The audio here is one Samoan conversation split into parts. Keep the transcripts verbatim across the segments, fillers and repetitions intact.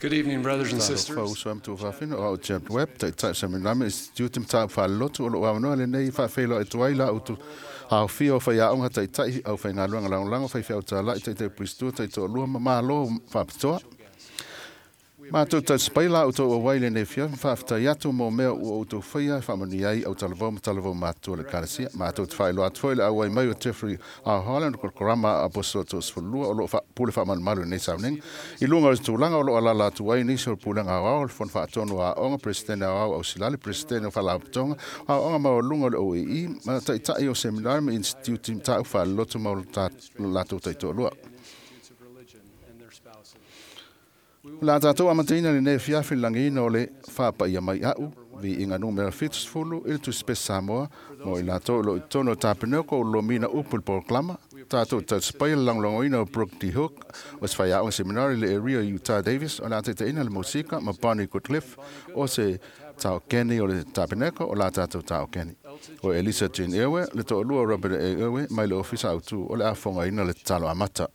Good evening, brothers and sisters. Talofa uso a matou fafine o au James Webb, Taitai o Seminare Institute Mataupu Faalelotu o loo avanoa lenei faafeiloai atu ai la outou aofia o faiaoga taitai au faigaluega lagolago faifeau talai taitai puisitua taitoalua ma malo faapitoa. Matou tausipai la outou auai lenei afiafi ma faafetai atu mo mea ua outou faia e faamanuia ai au talavou ma talavou matutua o le Ekalesia. Matou te faailoa atu foi le auai mai o Jeffrey R. Holland o Korokorama a Aposola Toasefululua o loo pule faamalumalu i lenei sauniga. I luga o le tulaga o loo alaala atu ai nisi o le Pulega Aoao, le Fono Faatonu o Aoga, Peresetene Aoao Ausilali, Peresetene o Faalapotopotoga, Aoaoga Maualuga o le O E E, ma Taitai o Seminare ma Institute Mataupu Faalelotu ma o latou taitoalua. O le a tatou amataina lenei afiafi i le lagiina o le faapaia mai au, viiga numera fitusefulu i le Tusi Pese Samoa, mo i latou o loo i totonu o le tapeneko o lomina upu i le polokalama. Tatou tausipaia le lagolagoina o Brooke D. Hook, o se faiaoga seminari i le area Utah Davis, o le a taitaiina le musika ma Bonnie Goodcliff, o se taokeni o le tapeneko o la tatou taokeni. O Elisa Jean Ewe, le toalua o Robert A. Ewe, mai le ofisa autu o le a fogaina le tatalo amata.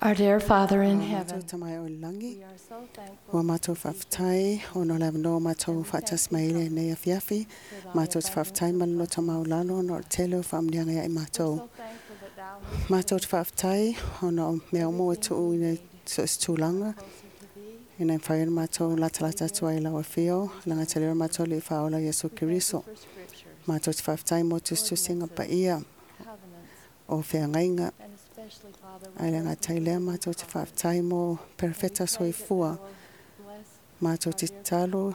Our dear Father in heaven, Matou tamai o le lagi, we are so thankful ua matou faafetai ona o le avanoa matou faatasi mai ai lenei afiafi. Matou te faafetai ma le loto maulalo ona o le tele o faamanuiaga ia i matou. so thankful that thou hast Matou te faafetai ona o mea uma ua tuuina i so o se tulaga closer to thee. ina e mafai ona matou latalata atu ai i lau afio, lagatali o matou Alii Faaola Iesu Keriso. For scriptures, Matou te faafetai mo tusitusiga paia covenants, o feagaiga. and especially, Father, we Ai le gatai lea matou te faafetai mo perofeta soifua. bless Matou te tatalo our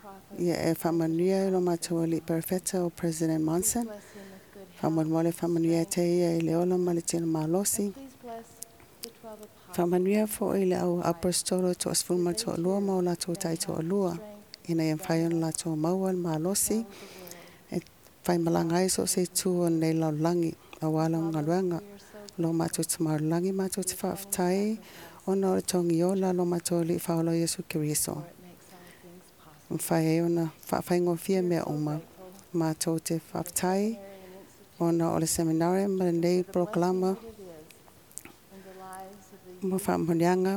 prophet, ia e faamanuia i lo matou alii perofeta o President Monson. bless him with good health. Faamolemole faamanuia te ia i le ola ma le tino malosi. Please bless the twelve apostles, Faamanuia foi i le au apostolo toasefulu ma le toalua ma o latou taitoalua. Ina ia mafai ona latou maua le malosi e faimalaga ai so o se itu o lenei lalolagi aua lau galuega. Lo matou te maulagi matou te faafetai ona o le togiola lo matou Alii Faaola Iesu Keriso. it makes all things possible. Mafai ai ona faafaigofie mea uma. Matou te faafetai Ona o le seminari ma lenei polokalama ma faamanuiaga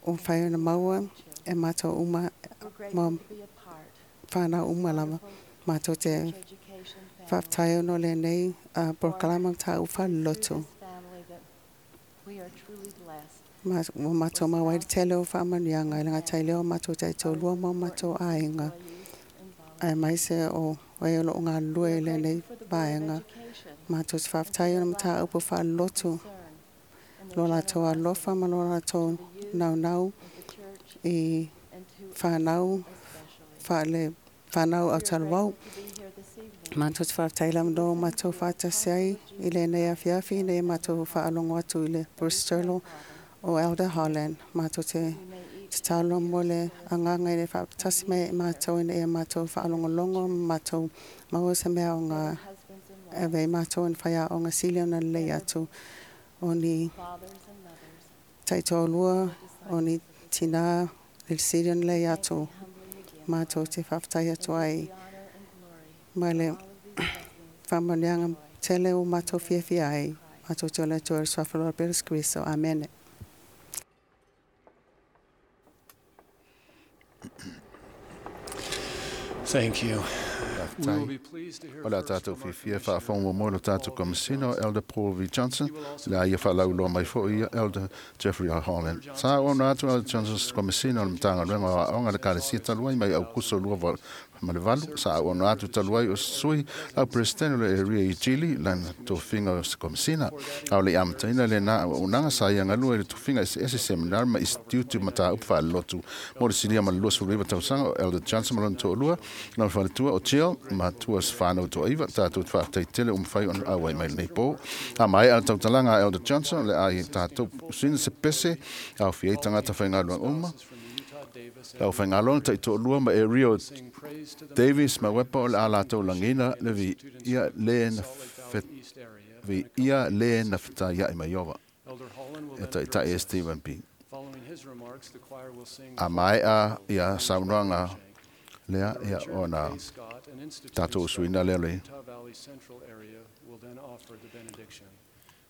ua mafai ona maua e matou uma ma fanau uma lava. Matou te faafetai ona o lenei polokalama mataupu faalelotu. Ma ua matou maua ai le tele o faamanuiaga e le gata i lea o matou taitoalua ma o matou aiga, aemaise o e o loo galulue i lenei vaega. Matou te faafetai ona mataupu faalelotu lo latou alofa ma lo latou naunau i fanau faale fanau autalavou. Matou te faafetai le avanoa ua matou faatasi ai i lenei afiafi ina ia matou faalogo atu i le Bristol o Elder Holland. Matou te tatalo mo le agaga i le faatasi mai ai matou ina ia matou faalogologo ma matou maua se mea aoga e avea ai matou i faiaoga sili ona lelei atu o ni taitoalua o ni tinā le sili ona lelei atu. Matou te faafetai atu ai ma le faamanuiaga tele ua matou fiafia ai. Matou te ola atu ai i le suafa o le Iesu Keriso. Amene. Thank you. We will Faafetai. be pleased to hear O le a first tātou from our fiafia Commissioner, faafofoga mo le tātou Paul V. Komisina o Johnson. Elder Paul V. Johnson, He will also le a ia faalauiloa mai foi ia Elder Jeffrey R. Holland. Sa ona atu Elder Johnson Komisina o le Matagaluega o Aoga le Ekalesia talu ai mai Aukuso lua val- ma le valu, sa ona atu talu ai o sui lau President o le area i Chile, lana tofiga o se Komisina. A o le amataina lena auaunaga sa ia galue i le tofiga eseese seminari ma institute mataupu faalelotu mo le silia ma le luasefulu iva tausaga o Elder Johnson ma lona toalua, lona faletua o Jill, ma tua se fanau toaiva, tātou te faafetai tele ua mafai ona auai mai lenei po. A maea le tautalaga a Elder Johnson, o le a ia tātou sina se pese, aofia ai tagata faigaluega uma, Spouses from the Utah Davis lau faigaloga taitoalua ma e Rio sing praise to the Davis ma Wepa o le a latou lagina le vi ia le na Salt Lake fet Valley East area. vi ia le na fetaiai mai Iova Elder Holland will e then taitai e address us. Stephen B. Following his remarks, the choir will sing A maea ia saunoaga lea ia Richard ona A. Scott, an institute tātou instructor usuina lea from le Utah Valley Central area, will then offer the benediction.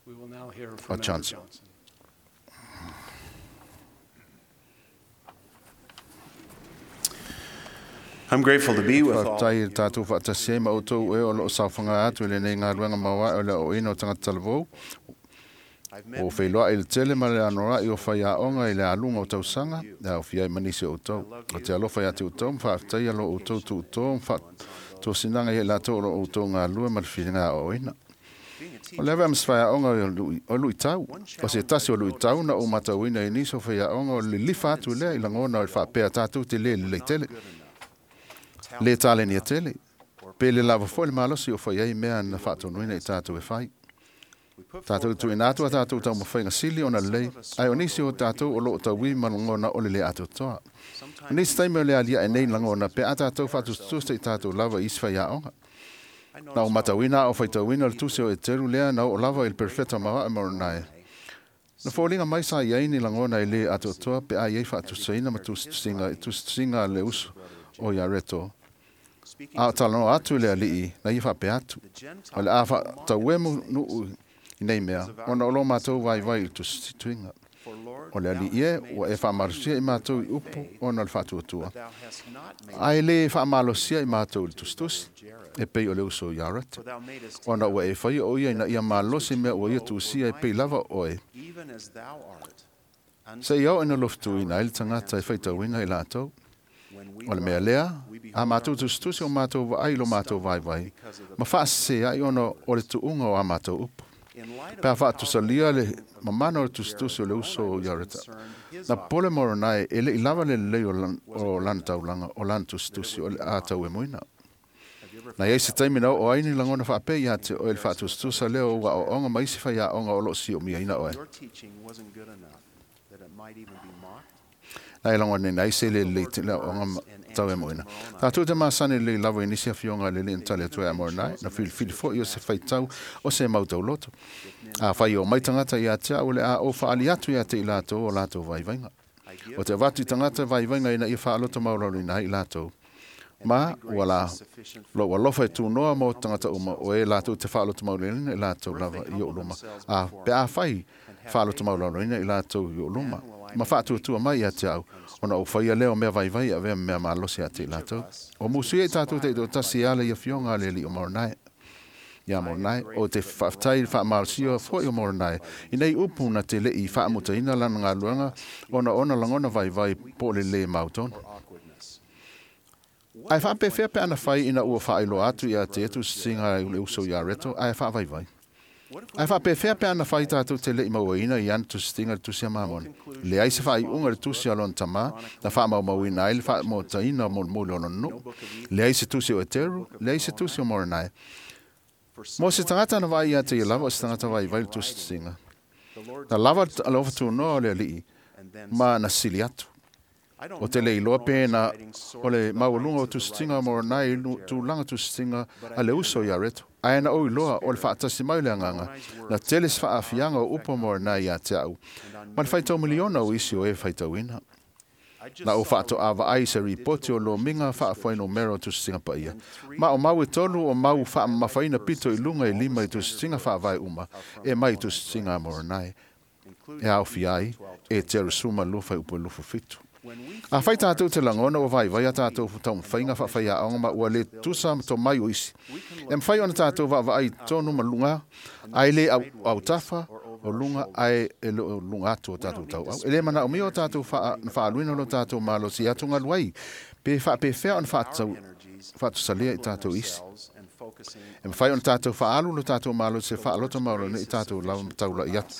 We will now hear from Elder Johnson. Johnson. I'm grateful to be with all. Faafetai i le tātou faatasi ai ma outou e o loo saofaga atu i lenei galuega mauae o le aoaoina o tagata talavou. I've met O feiloai i le tele ma le anora'i o faiaoga i le aluga o tausaga, le aofia ai ma nisi o outou. O te alofa ia te outou ma faafetaia lo outou tuuto ma faatosinaga ia i latou o lo outou galulue ma le filiga aoaoina. being a O teacher. le ave a ma se faiaoga o lui- o luitau. O se tasi o luitau na ou matauina i nisi o faiaoga o le lilifa atu lea i lagona o le faapea tātou te lē lelei tele, Good enough. lē talenia tele, pe le lava foi le malosi o fai ai mea na faatonuina i tātou e fai. We put Tātou forth tuuina our atu a tātou taumafaiga sili ona lelei, ai o nisi o tātou o loo tauī ma lagona o le lē atoatoa. O nisi taimi o le aliae nei lagona pe a tātou faatusatusa i tātou lava i isi faiaoga. I Na o noticed matauina a o faitauina le tusi o Eteru lea na oo lava i le perfeta mauae ma onae. Na foliga mai sa iai ni lagona i lē atoatoa pe a iai faatusaina ma tusitusiga tusitusiga a le uso o Iareto. speaking A o to the talanoa atu le alii na ia faapea atu. the Gentiles O le a will mock at faatauemu these things. nuu i nei mea, ona o lo mātou vaivai i le tusituiga. For Lord, O le thou alii e, hast made ua e us faamalosia i weak mātou i by upu faith, ona o le faatuatua. but thou hast not made Ai us lē faamalosia i mātou i le tusitusi, Jared. e pei o le uso i Arete. For thou madest Ona him, ua e faia o ia ina ia malosi mea ua ia tusia e pei lava oe. even as thou art, unto Se i au ina lofutuina ai le tagata e faitauina i latou. when we O le mea run, lea, we behold a mātou our tusitusi o mātou vaai lo mātou vaivai. Ma faasese ai ona o le tuuga o a mātou upu. In light of Pe a the powerful faatusalia le writing of mamana o le Jared, tusitusi o le uso o Moroni was Iareta. concerned his Na pole Moroni e le i lava le lelei o lan- was o lana taulaga, o lana tusitusi o le a tau e moina. Have you ever Na iai se taimi na oo ai ni lagona faapea ia te oe le faatusatusa lea o ua aoaoga ma isi faiaoga o loo siomiaina oe. your teaching wasn't good enough, that it might even be mocked? Na e lagona ai se le lelei tele aoaoga ma tau e moina. Tātou te masani lelei lava i nisi afioga le le tali atu e a Moroni, na filifili foi o se faitau o se mau tauloto. A whai o mai tangata ia te au le a o whaali atu ia te i latou o latou vaivaiga. I give O te avatu i tangata vaivaiga ina ia whaaloto maulalo ina i latou. Ma ua la lou alofa e tunoa mo tagata uma o e latou te faalotomauleleina i latou lava i ou luma. A pe afai faalotomaulaloina i latou i ou luma ma faatuatua mai ia te au, ona ou faia lea o mea vaivai e avea ma mea malosi ia te i latou. O musuia i tatou taitoatasi e ala i afioga a le Alii o Moronai. Ia Moronai, o te faafetai i le faamalosia foi o Moronai i nei upu na te le'i faamutaina lana galuega ona ona lagona vaivai po o le lē mautonu. Ae faapefea pe ana fai ina ua faailoa atu ia te tusitiga le uso ia Reto ae faavaivai. Ae faapefea pe ana fai tatou te le'i mauaina i ana tusitiga le tusi a Mamona. Leai se faaiuga le tusi a lona tamā na faamaumauina ai le faamotaina molimoli o lona nuu. Leai se tusi o Eteru, leai se tusi o Moronai. Mo se tagata na vaai ia te ia lava o se tagata vaivai le tusitiga. Na lava le ofatunoa o le alii ma na sili atu. O te le iloa pena o le maualuga o tusitiga o Moronai i tulaga tusitiga a le uso ia Reto. Ae na ou iloa o le faatasi mai o le agaga na tele se faafiaga o upu o Moronai ia te au ma le faitau miliona o isi o e faitauina. Na ou faatoa vaai se ripoti o lomiga faafuainumera o tusitiga paia. Ma o mau e tolu o mau faamamafaina pito i luga i lima i tusitiga faavae uma e mai i tusitiga a Moronai. E aofia ai e Terusuma lufa i upu e lufu fitu. A fai tātou te lagona ua vaivai a tātou taumafaiga faafaiaoga ma ua lē tusa ma tomai o isi. E mafai ona tātou vaavaai tonu ma luga ae lē autafa o luga ae e le o luga atu o tātou tauau. E lē manaomia o tātou na faaaluina lo tātou malosi atugalu ai pe faapefea ona faatusalia i tātou isi. E mafai ona tātou faaalu lo tātou malosi e faaloto maulana i tātou lava ma taulai atu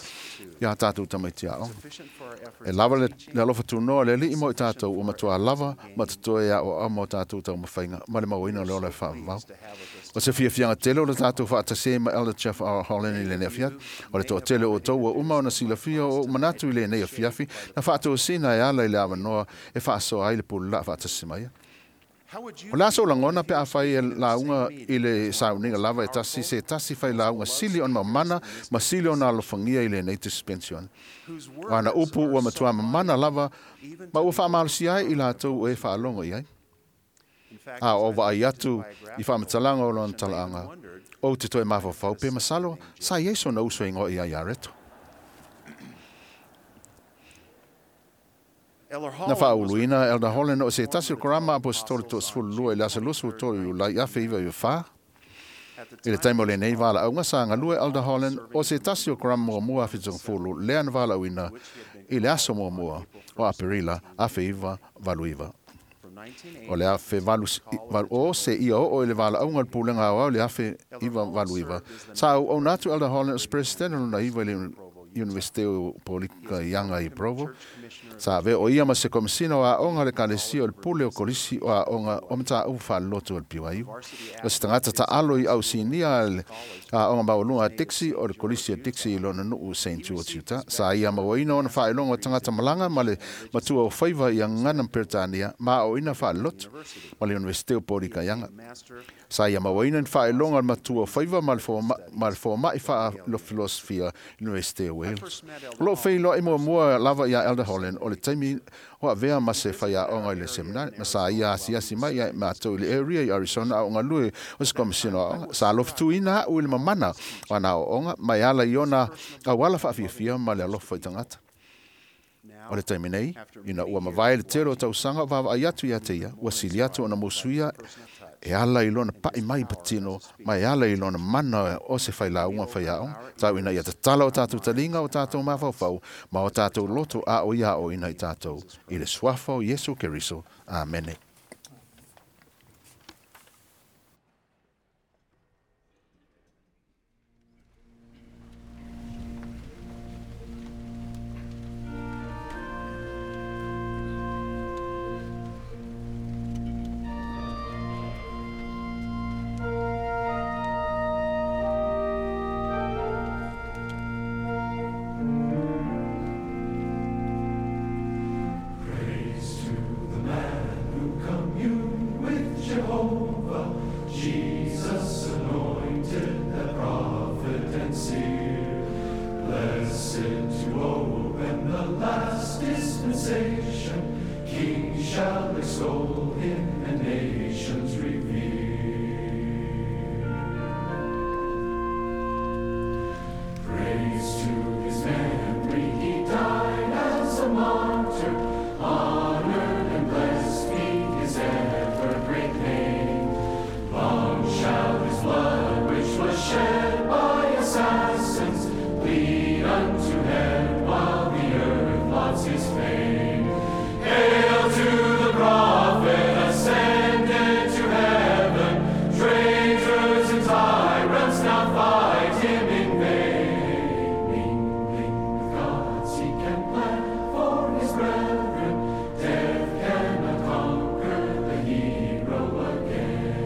ia tātou tamaiti aoga. E lava le alofa tunoa le alii mo i tātou ua matua lava ma totoe aoao ma o tātou taumafaiga ma le mauaina o le ola e faavavau. O se fiafiaga tele o le tātou faatasē ma Elder Jeff R. Holland i lenei afiafi. O le toatele o outou ua uma ona silafia o ou manatu i lenei afiafi na faatosina e ala i le avanoa e faasoa ai le pululaa faatasi mai. O le aso o lagona pe afai e lauga i le sauniga lava e tasi se tasi fai lauga sili ona mamana ma sili ona alofagia i lenei suspension. O ana upu ua matua mamana lava ma ua faamalosia ai i latou o e faalogo i ai. A o vaai atu i faamatalaga o lona talaaga, ou te toe mafaufau pe masalo sa i ai sona uso e igoa ia ia Reto. Na faauluina Elder Holland o se tasi o karama apostolo toasefululua i le aso luasefulu tolu Iulai afe iva iva fa. I le taimi o lenei valaauga sa galue Elder Holland o se tasi o karama muamua afe togafulu lea na valaauina i le aso muamua o Aperila afe iva valu iva. O le afe valu o se ia oo i le valaauga o le pulega aoao le afe iva valu iva. Sa auauna atu Elder Holland o se presidente lona iva i le Universite o Polika Ianga i Provo. Sa avea o ia ma se komisina o aoga le ekalesia o le pule o kolisi o aoga o mataupu faalelotu o le P Y U. O se tagata taalo i ausinia le aoga maualuga a Dixie o le kolisi a Dixie i lona nuu Saint George, Utah. Sa ia mauaina ona faailoga o tagata malaga ma le matua o faiva i agana ma Peretania ma aoaoina faalelotu ma le Universite o Polika Ianga. Sa ia mauaina ni faailoga o le matua o faiva ma le foma'i faafilosofia Universite o Wales. O loo feiloai muamua lava ia Elder Holland o le taimi o avea ma se faiaoga i le seminari ma sa ia asiasi mai ia matou i le area i Arizona a o galue o se komisina o aoga. Sa alofatuina a'u i le mamana o ana aoaoga ma e ala i ona auala faafiafia ma le alofa i tagata. O le taimi nei, ina ua mavae le tele o tausaga o vaavaai atu ia te ia, ua sili atu ona musuia e ala i lona pa'i mai patino ma e ala i lona mana o se failauga faiaoga. Tau ina ia tatala o tātou taliga o tātou mafaufau ma o tātou loto a o ia o ina i tātou i le suafa o Iesu Keriso. Amene. Praise to the man who communed with Jehovah, Jesus anointed, the prophet and seer. Blessed to open the last dispensation, kings shall extol him and nations revere. Praise to his memory, he died as a martyr. Honored and blessed be his ever great name. Long shall his blood, which was shed by assassins, bleed unto heaven while the earth lauds his fame. Hail to the prophet ascended to heaven. Traitors and tyrants now fight him in vain. Mingling with gods, he can plan for his brethren. Death cannot conquer the hero again.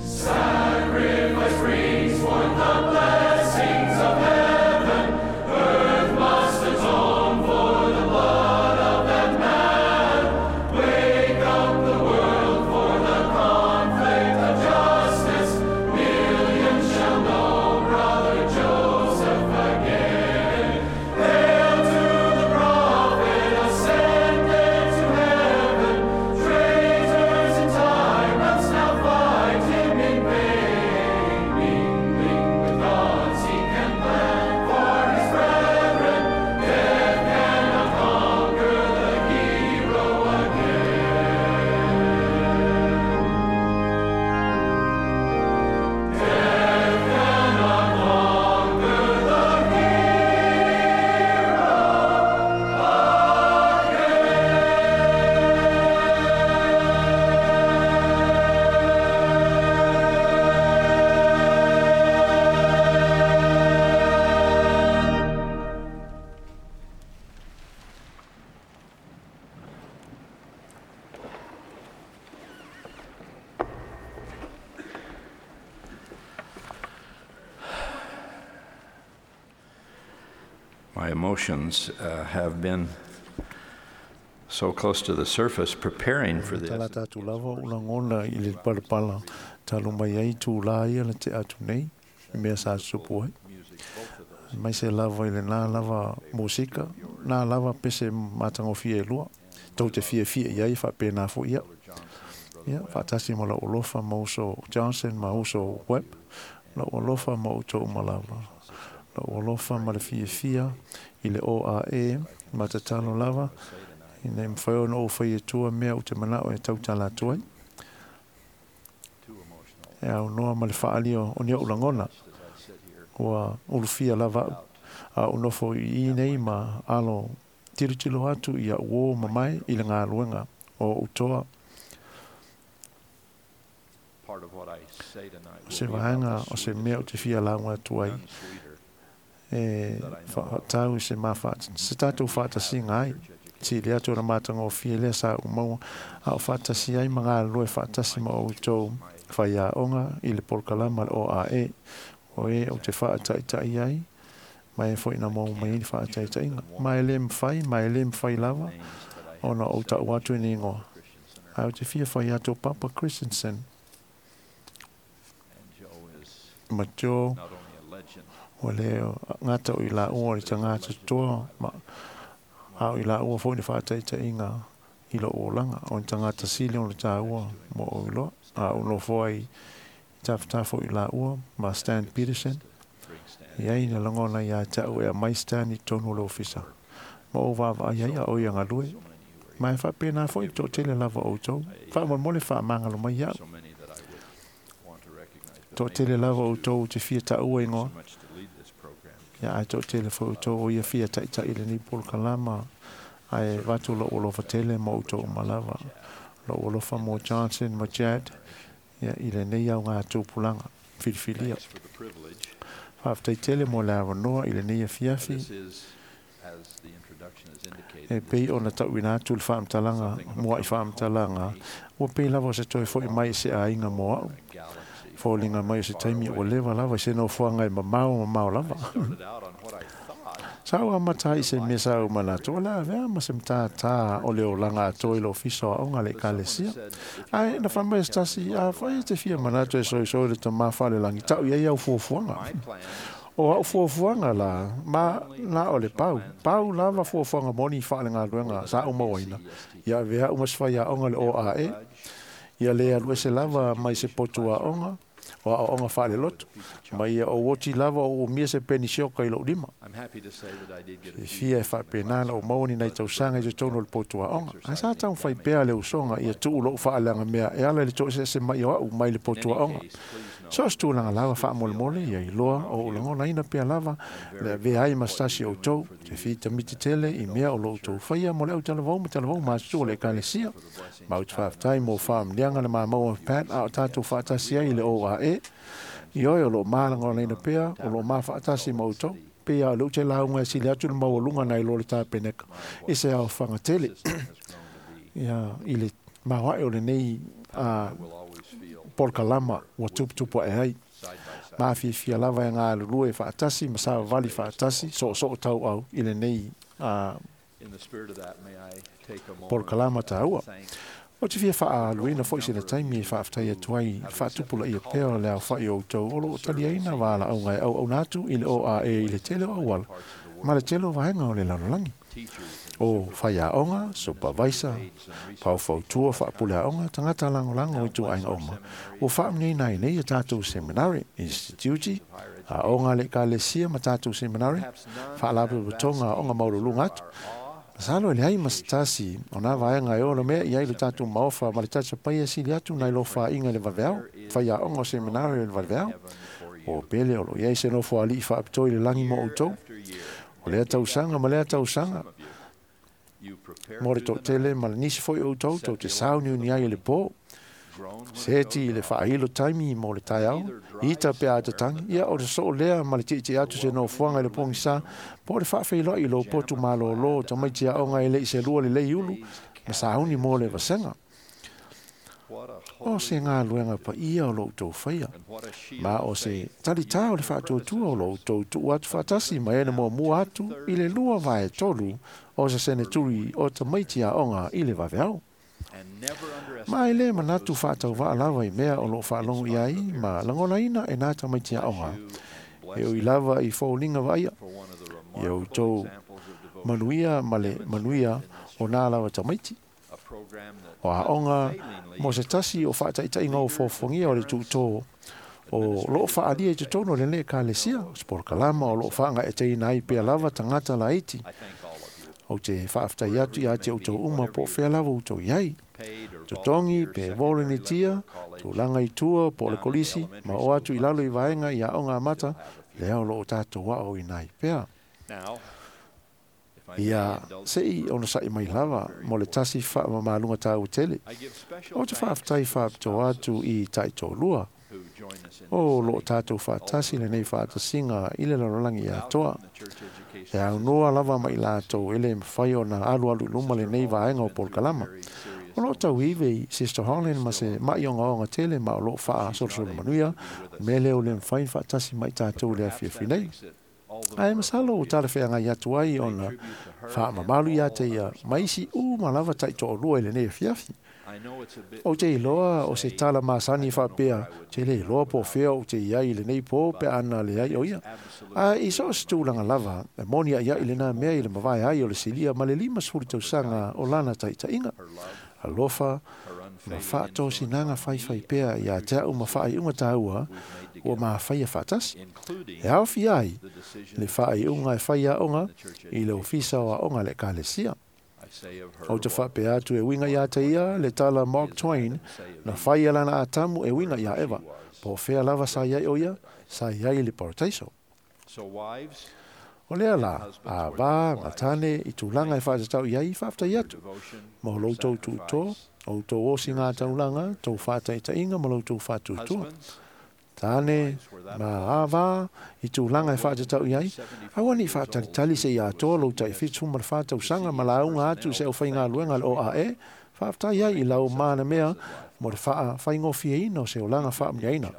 Sacrifice brings forth the blessings of heaven. Earth must atone for the blood of that man. Wake up the world for the conflict of justice. Millions shall know Brother Joseph again. Hail to the prophet ascended to heaven. Traitors and tyrants now fight him in vain. Mingling with gods, he can plan for his brethren. Death cannot conquer the hero again. Death cannot conquer the hero My emotions uh, have been so close to the surface preparing for this. Tala tātou lava o lagona i le palapala talo mai ai tūlā ia le te atu nei i mea sa tutupu ai. Mai se lava i le nā lava musika, nā lava pese matagofie e lua, tou te fiafia i ai faapena foʻi ia. Ia, faatasi ma lou alofa ma uso Johnson ma uso Webb, lou alofa ma outou uma lava. Lou alofa ma le fiafia i le O A E ma tatalo lava, ina ia mafai ona ou fai atua mea ou te manao e tautala atu ai. E aunoa ma le faalia o ni ou lagona, ua ulufia lava au, a ou nofo i i nei ma alo tilotilo atu i a'u ō mamae i le galuega o ou toa. Part of what I say tonight O will se be about vaega the o se mea ou te fia lauga atu ai, none sweeter e whaatau i se mawha, se tātou whaatasiga ai, ti le atu o na matagofie lea sa ou maua, a o faatasi ai ma galulue faatasi ma outou faiaoga i le polokalama le O A E, o e o te faataʻitaʻi ai, ma e foʻi na maua mai ai le faataʻitaʻiga. Ma e lē mafai, ma e lē mafai lava, ona ou taʻu atu i ni igoa. Ae ou te fia fai atu o Papa Christensen, And Joe is ma Joe, not only a legend, ua lē gata o i laua le tagata toa, ma a o i laua foʻi le faataʻitaʻiga i lou olaga, o ni tagata sili ona tāua mo ou iloa, a ou nofo ai i tafatafa o i laua ma Stan Peterson, bring Stan i ai na lagona iā te a'u e aumai Stan i totonu o le ofisa. Ma ou vaavaai ai a o ia galue. so many who are Ma e faapena foʻi toʻatele lava outou. Faamolemole faamagalo mai iaʻu. so many that I would want to recognize, but maybe Toʻatele lava outou te fia taʻua igoa. so much to lead this program. Ia ae toʻatele foʻi outou o ia fia taʻitaʻi lenei polokalama. Ae vatu lou alofa tele ma outou uma lava. Lou alofa mo Johnson ma Chad. Ia i lenei augā tupulaga filifilia. Thanks for the privilege. Faafetaitele mo le avanoa i lenei afiafi. This is, as the introduction has indicated, E pei ona taʻuina atu le faamatalaga muaʻi faamatalaga, ua pei lava o se toe foʻi mai i se aiga mo aʻu. a galaxy Foliga mai o se taimi ua leva lava i se nofoaga e mamao mamao lava. started out on what I thought Sa ou amata ai i se mea sa ou manatu, o le avea ma se matātā o le olaga atoa i le ofisa o aoga le ekalesia. Ae na faamai se tasi, a fai e te fia manatu e soisoi le tamā faalelagi, taʻu i ai au fuafuaga. my plans O a'u fuafuaga la ma na o le pau. Pau lava fuafuaga moni faalegaluega sa ou mauaina. Ia avea uma se faiaoga le O A E. Ia le alu ese lava mai se potu aoga o aoaoga faalelotu. Ma ia ou oti lava o umia se penisioka i lou lima. Fiafia e faapena na ou maua ni nai tausaga i totonu o le potu aoga. Ae sa taumafai pea le usoga ia tuu lou faaleagamea e ala i le toeseese mai o a'u mai le potu aoga. So o se tulaga lava faamolemole ia iloa o ou lagonaina pea lava le avea ai ma se tasi o outou te fitamiti tele i mea o lo outou faia mo le autalavou ma talavou matutua o le Ekalesia. Ma ou te faafetai mo faamanuiaga na maua ma Pat a o tatou faatasi ai i le O A E. Ioe o loo malagonaina pea o loo mafaatasi ma outou. Pei a o le ou te lauga e sili atu le maualuga nai lo le tapeneka i se aofaga tele. Ia i le maoae o lenei a polokalama ua tuputupu ae ai. Mafiafia lava e galulue faatasi ma savavali faatasi soosoo tauau i lenei a polokalama taua. O te fia faaluina foi se le taimi e faafetai atu ai i le faatupulaia pea o le aofa'i o outou o loo taliaina valaauga e auauna atu i le O A E i le tele o auala ma le tele o vaega o le lalolagi. O faiaoga, supervisor, paofautua faapuleaoga, tagata lagolago i ituaiga uma, ua faamanuiaina ai nei a tatou seminari, instituti, aoga a le Ekalesia ma tatou seminari, faalapotopotoga aoga maualuluga atu. Masalo e leai ma se tasi o nā vaega e ono mea i ai le tatou maofa ma le tatapai e sili atu nai lo fāiga i le vaveao, faiaoga o seminari o le vaveao. O pele o lo i ai se nofo ali'i faapitoa i le lagi mo outou. O lea tausaga ma lea tausaga, mo le toatele ma le nisi foi o outou tou te sauniuni ai i le pō. Seti i le faailo taimi mo le taeao, ita pe a tatagi, ia o le sosoo lea ma le tietie atu se nofoaga i le pogisa, po o le faafeiloai i lou potu malōlō o tamaiti aoga e le'i selua lelei ulu ma sauni mo le vasega. O se galuega paia o lo outou faia, ma o se talitā o le faatuatua o lo outou tuu atu faatasi ma e na muamua atu i le lua vae tolu o se seneturi o tamaiti aoga i le vaveao. Ma e lē manatu faatauvaa lava i mea o loo faalogo i ai ma lagonaina e nā tamaiti aoga e ui lava i foliga vaaia. Ia outou manuia ma le manuia o nā lava tamaiti. O aoga mo se tasi o faataitaiga o fuafuagia o le tuutō o loo faaalia i totonu o lenei Ekalesia, o se polokalama o loo faagaeteina ai pea lava tagata laiti. Ou te faafetai atu ia te outou uma po o fea lava outou i ai. Totogi pe volenitia, tulaga i tua po o le kolisi, ma o atu i lalo i vaega i aoga amata, lea o loo tatou aoaoina ai pea. Ia se'i onosa'i mai lava mo le tasi faamamaluga taua tele. Ou te faafetai faapitoa atu i taitoalua o loo tatou faatasi lenei faatasiga i le lalolagi atoa. E aunoa lava ma i latou e lē mafai ona alualu i luma lenei vaega o polokalama. O loo tauive i Sister Holland ma se ma'i ogaoga tele ma o loo faasolosolo manuia mea lea o le mafai ona faatasi ma i tatou i le afiafi nei. Ae masalo ua talafeagai atu ai ona faamamalu ia te ia ma isi uma lava taitoalua i lenei afiafi. Ou te iloa o se tala masani faapea, te le iloa po o fea ou te i ai i lenei pō pe a na leai o ia. Ae i so o se tulaga lava, e moni a'ia'i lenā mea i le mavae ai o le silia ma le limasefulu tausaga o lana taitaiga. Alofa ma faatosinaga faifai pea ia te a'u ma faaiuga taua ua mafaia faatasi. E aofia ai le faaiuga e fai aoga i le Ofisa o Aoga a le Ekalesia. Ou te faapea atu e uiga ia te ia le tala Mark Twain na fai e lana Atamu e uiga iā Eva, po o fea lava sa i ai o ia, sa i ai i le parataiso. O lea la, a vā ngā tāne i tulaga e faatatau i ai i faafetai atu mo lo outou tuutō, o outou osi ngā taulaga, tou faataitaiga ma lo outou faatuatua. Tāne, ma a vā i tulaga e faatatau i ai, aua ne i faatalitali seia atoa lou taifitu ma le fa tausaga ma lauga atu i se aufaigaluega a le O A E, faafetai ai i lau manamea mo le faafaigofieina o se olaga faamanuiaina.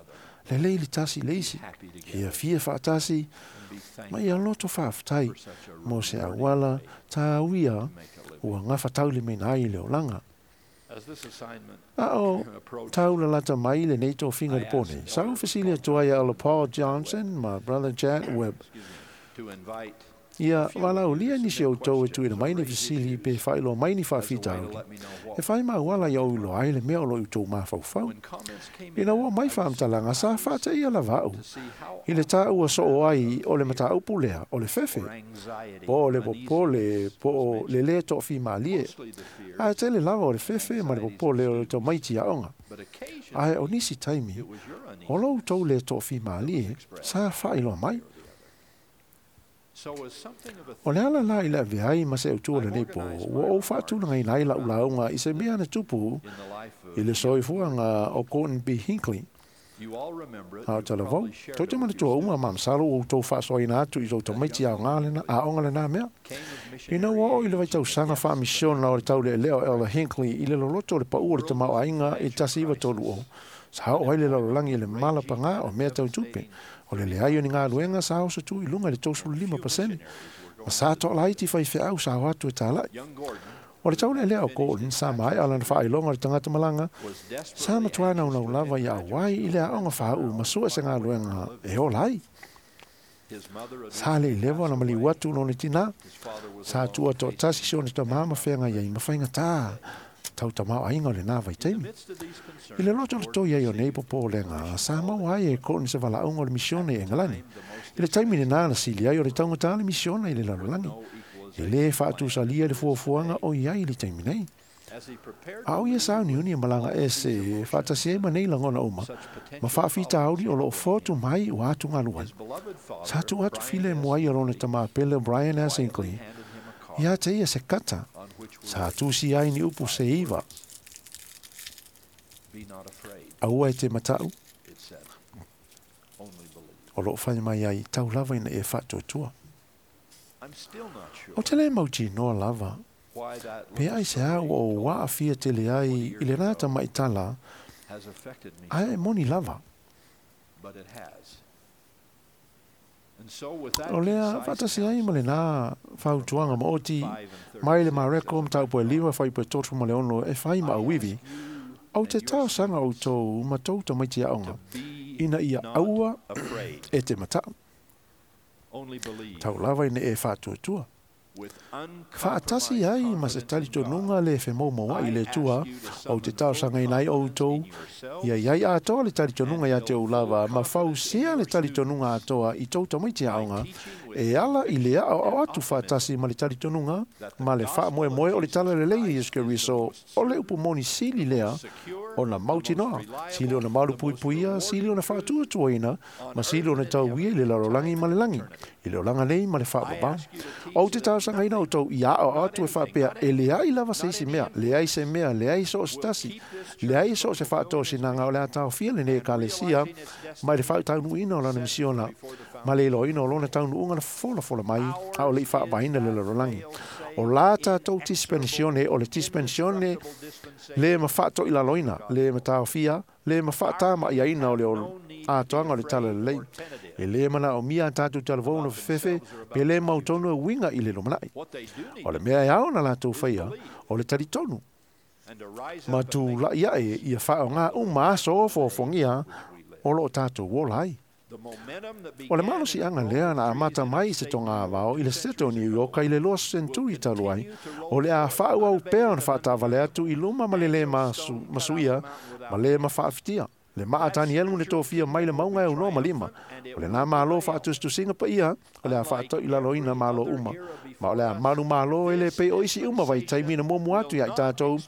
Lelei le tasi i le isi, ia fia faatasi, ma ia loto faafetai mo se auala tāuia ua gafataulimaina ai le olaga. A o taula lata mai lenei tofiga le pone. Sa ou fesili atu ai ia Paul Johnson ma Brother Jack Webb. Ia walaulia nisi o outou e tuuina mai ni fesili pe faailoa mai ni faafitauli. E fai mauala ia ou iloa ai le mea o lo o i outou mafaufau. Ina ua mai faamatalaga sa faataia lava au i le taua soo ai o le mataupu lea o le fefe, po o le popole, po o le lē toafimalie. Ae tele lava o le fefe ma le popole o le tamaiti aoga. Ae o nisi taimi, o lo outou lē toafimalie sa faailoa mai. O le ala la i le avea ai ma se autu o lenei pō, ua ou faatulagaina ai lau lauga i se mea na tupu i le soifuaga o Gordon B. Hinckley. A o talavou, tou te manatua uma ma masalo ua outou faasoaina atu i tou tamaiti aoga lena, aoga lena mea. Ina ua oo i le vaitausaga faamisiona o le taulealea o Elder Hinckley i le loloto o le pau o le tamaoaiga i le tasi iva tolu o, sa oo ai le lalolagi i le malapagā o mea tau tupe. O le leai o ni galuega sa oso tu i luga i le tolusefulu lima pasene. Ma sa toalaiti faifeau sa o atu e talai. O le taulealea o Gordon sa maea lana faailoga o le tagata malaga, sa matuā naunau lava ia auai i le aoga faauu ma sue se galuega e ola ai. Sa le lewa na maliu atu lona tinā. Sa tua toatasi si ona tamā ma feagai ai ma faigatā tau tamaoaiga o lenā vaitaimi. I le loto le toi ai o nei popolega, sa maua ai e Gordon se valaauga o le misione i Engelani. I le taimi lenā na sili ai o le taugata le misiona i le lalolagi. E lē faatusalia le fuafuaga o i ai i le taimi nei. A o ia sauniuni e malaga ese faatasi ai ma nei lagona uma, ma faafitauli o loo fotu mai ua atugalu ai. Sa tuu atu filemu ai o lona tamā pele Brian S. Hinckley, ia te ia se kata, sa tusi ai ni upu se iva. Aua e te matau, o loo fai mai ai tau lava ina e faatuatua. O te le mautinoa lava, pe ai se au o waafia tele ai i le nā tamaitala, ae e moni lava. O lea faatasi ai ma lenā fautuaga maoti mai le Mareko mataupu e lima fuaiupu e tolusefulu ma le ono e fai ma auivi, ou te talosaga outou ma tou tamaiti aoga, ina ia aua e te matau. Tau lava ina e faatuatua. Faatasi ai ma se talitonuga le femaumauai i le Atua, ou te talosagaina ai outou, ia iai atoa le talitonuga ia te ou lava, ma fausia le talitonuga atoa i tou tamaiti aoga, e ala i le aoao atu faatasi ma le talitonuga, ma le faamoemoe o le talalelei e Iesu Keriso, o le upu moni sili lea ona mautinoa, sili ona malupuipuia, sili ona faatuatuaina, ma sili ona tauia i le lalolagi ma le lagi, i le olaga nei ma le faavavao. Ou te talosagaina outou ia aoao atu e faapea, e leai lava se isi mea, leai se mea, leai so o se tasi, leai so o se faatosinaga o le a taofia lenei ekalesia mai le faataunuuina o lana misiona, ma le iloaina o lona taunuuga na folafola mai, a o le i faavaina le lalolagi. O la tatou dispensione, o le dispensione le ma faatoilaloina, le ma taofia, le ma faatamaiaina o le atoaga o le talalelei. E lē manaomia a tatou talavou ona fefefe pe lē mautonu e uiga i le lumanai. O le mea e ao ona latou faia, o le talitonu ma tula'i ae ia faaaogā uma aso ofoofogia o loo tatou ola ai. O le malosiaga lea na amata mai i se togavao i le Seto o New York i le lua senturi talu ai, o le a faaauau pea ona faatavale atu i luma ma le lē masuia ma lē mafaafitia. Le maa Tanielu na tofia mai le mauga e aunoa ma lima. O lenā Malo faatusitusiga paia, o le a faatoilaloina malo uma. Ma o le a malu malo e lē pei o isi uma vaitaimi na muamua atu iā i tatou.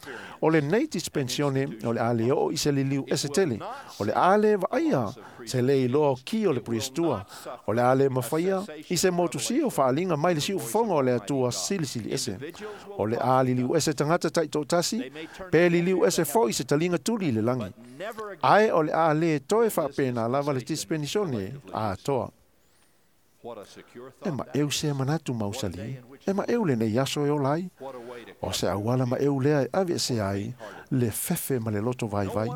O lenei dispensione, o le a le oo i se liliu ese tele. O le a le vaaia se le iloa o ki o le puliasitua. O le a le mafaia i se motusia o faaliga mai le siufofoga o le Atua silisili ese. O le a liliu ese tagata taitoatasi, pe liliu ese foi se taliga tuli i le lagi. Ae o le a le toe faapena lava le dispensione atoa. E maeu sea manatu mausali, e maeu lenei aso e ola ai. O se auala maeu lea e aveesea ai le fefe ma le loto vaivai.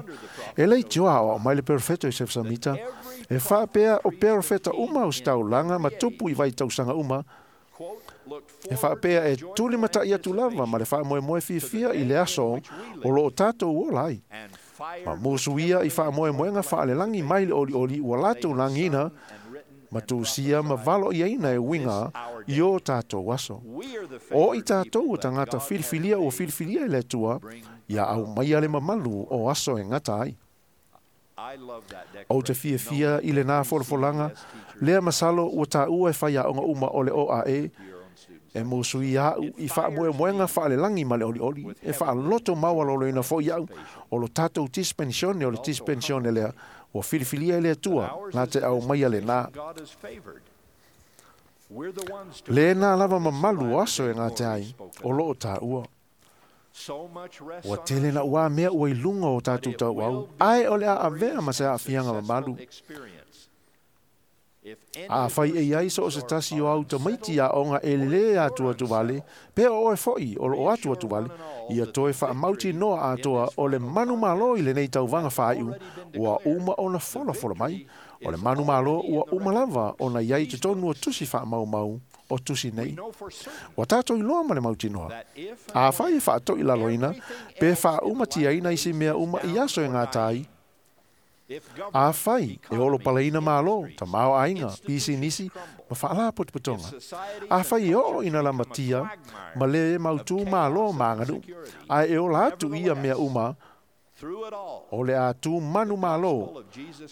E leitioa aoao mai le perofeta Iosefo Samita, e faapea o perofeta uma o se taulaga ma tupu i vaitausaga uma, E whaapea e tuli mata i atu lava ma le whaamoemoe fiafia i le aso o loo tātou ola ai. Ma musu ia i whaamoemoenga whaalelangi mai le oli oli ua lātou langina ma tūsia ma valo ia ina e winga i o tātou aso. O i tātou o tangata filifilia o filifilia i le tua, ia au mai ale mamalu o aso e ngata ai. O te fiafia i le nā folafolanga, lea masalo ua tāua e whai a onga uma o le O A E, e musu ia au i whaamoemoenga whaalelangi ma le oli oli, e whaaloto maualolo ina fo iau, o lo tātou tispensione o le tispensione lea, ua filifilia i le atua, nā te au mai ale nā. Le nā lava mamalu o aso e ngā te ai, o loo tāua. Ua tele na ua mea ua i lunga o tātou tau au, ai o le a avea ma se aafianga mamalu. A whai e iai so o se tasi o au tamaiti a onga e le atu atu vale, pe o e foi o lo atu atu vale, ia toe whaamauti noa atoa o le manu malo i le nei tauvaga whaaiu, ua uma ona fola fola mai, o le manu malo ua uma lava ona iai te tonu o tusi whaamaumau o tusi nei. Ua tātou iloa ma le mautinoa. A whai e whaatoi laloina, pe whaaumatia ina isi mea uma i aso e ngā tai. A whai, e olo palaina malo, ta mao ainga, pisi nisi, ma whaala potopotonga. A whai e o ina la matia, ma le mautu malo maanganu, a e ola atu ia mea uma, o le atu manu malo,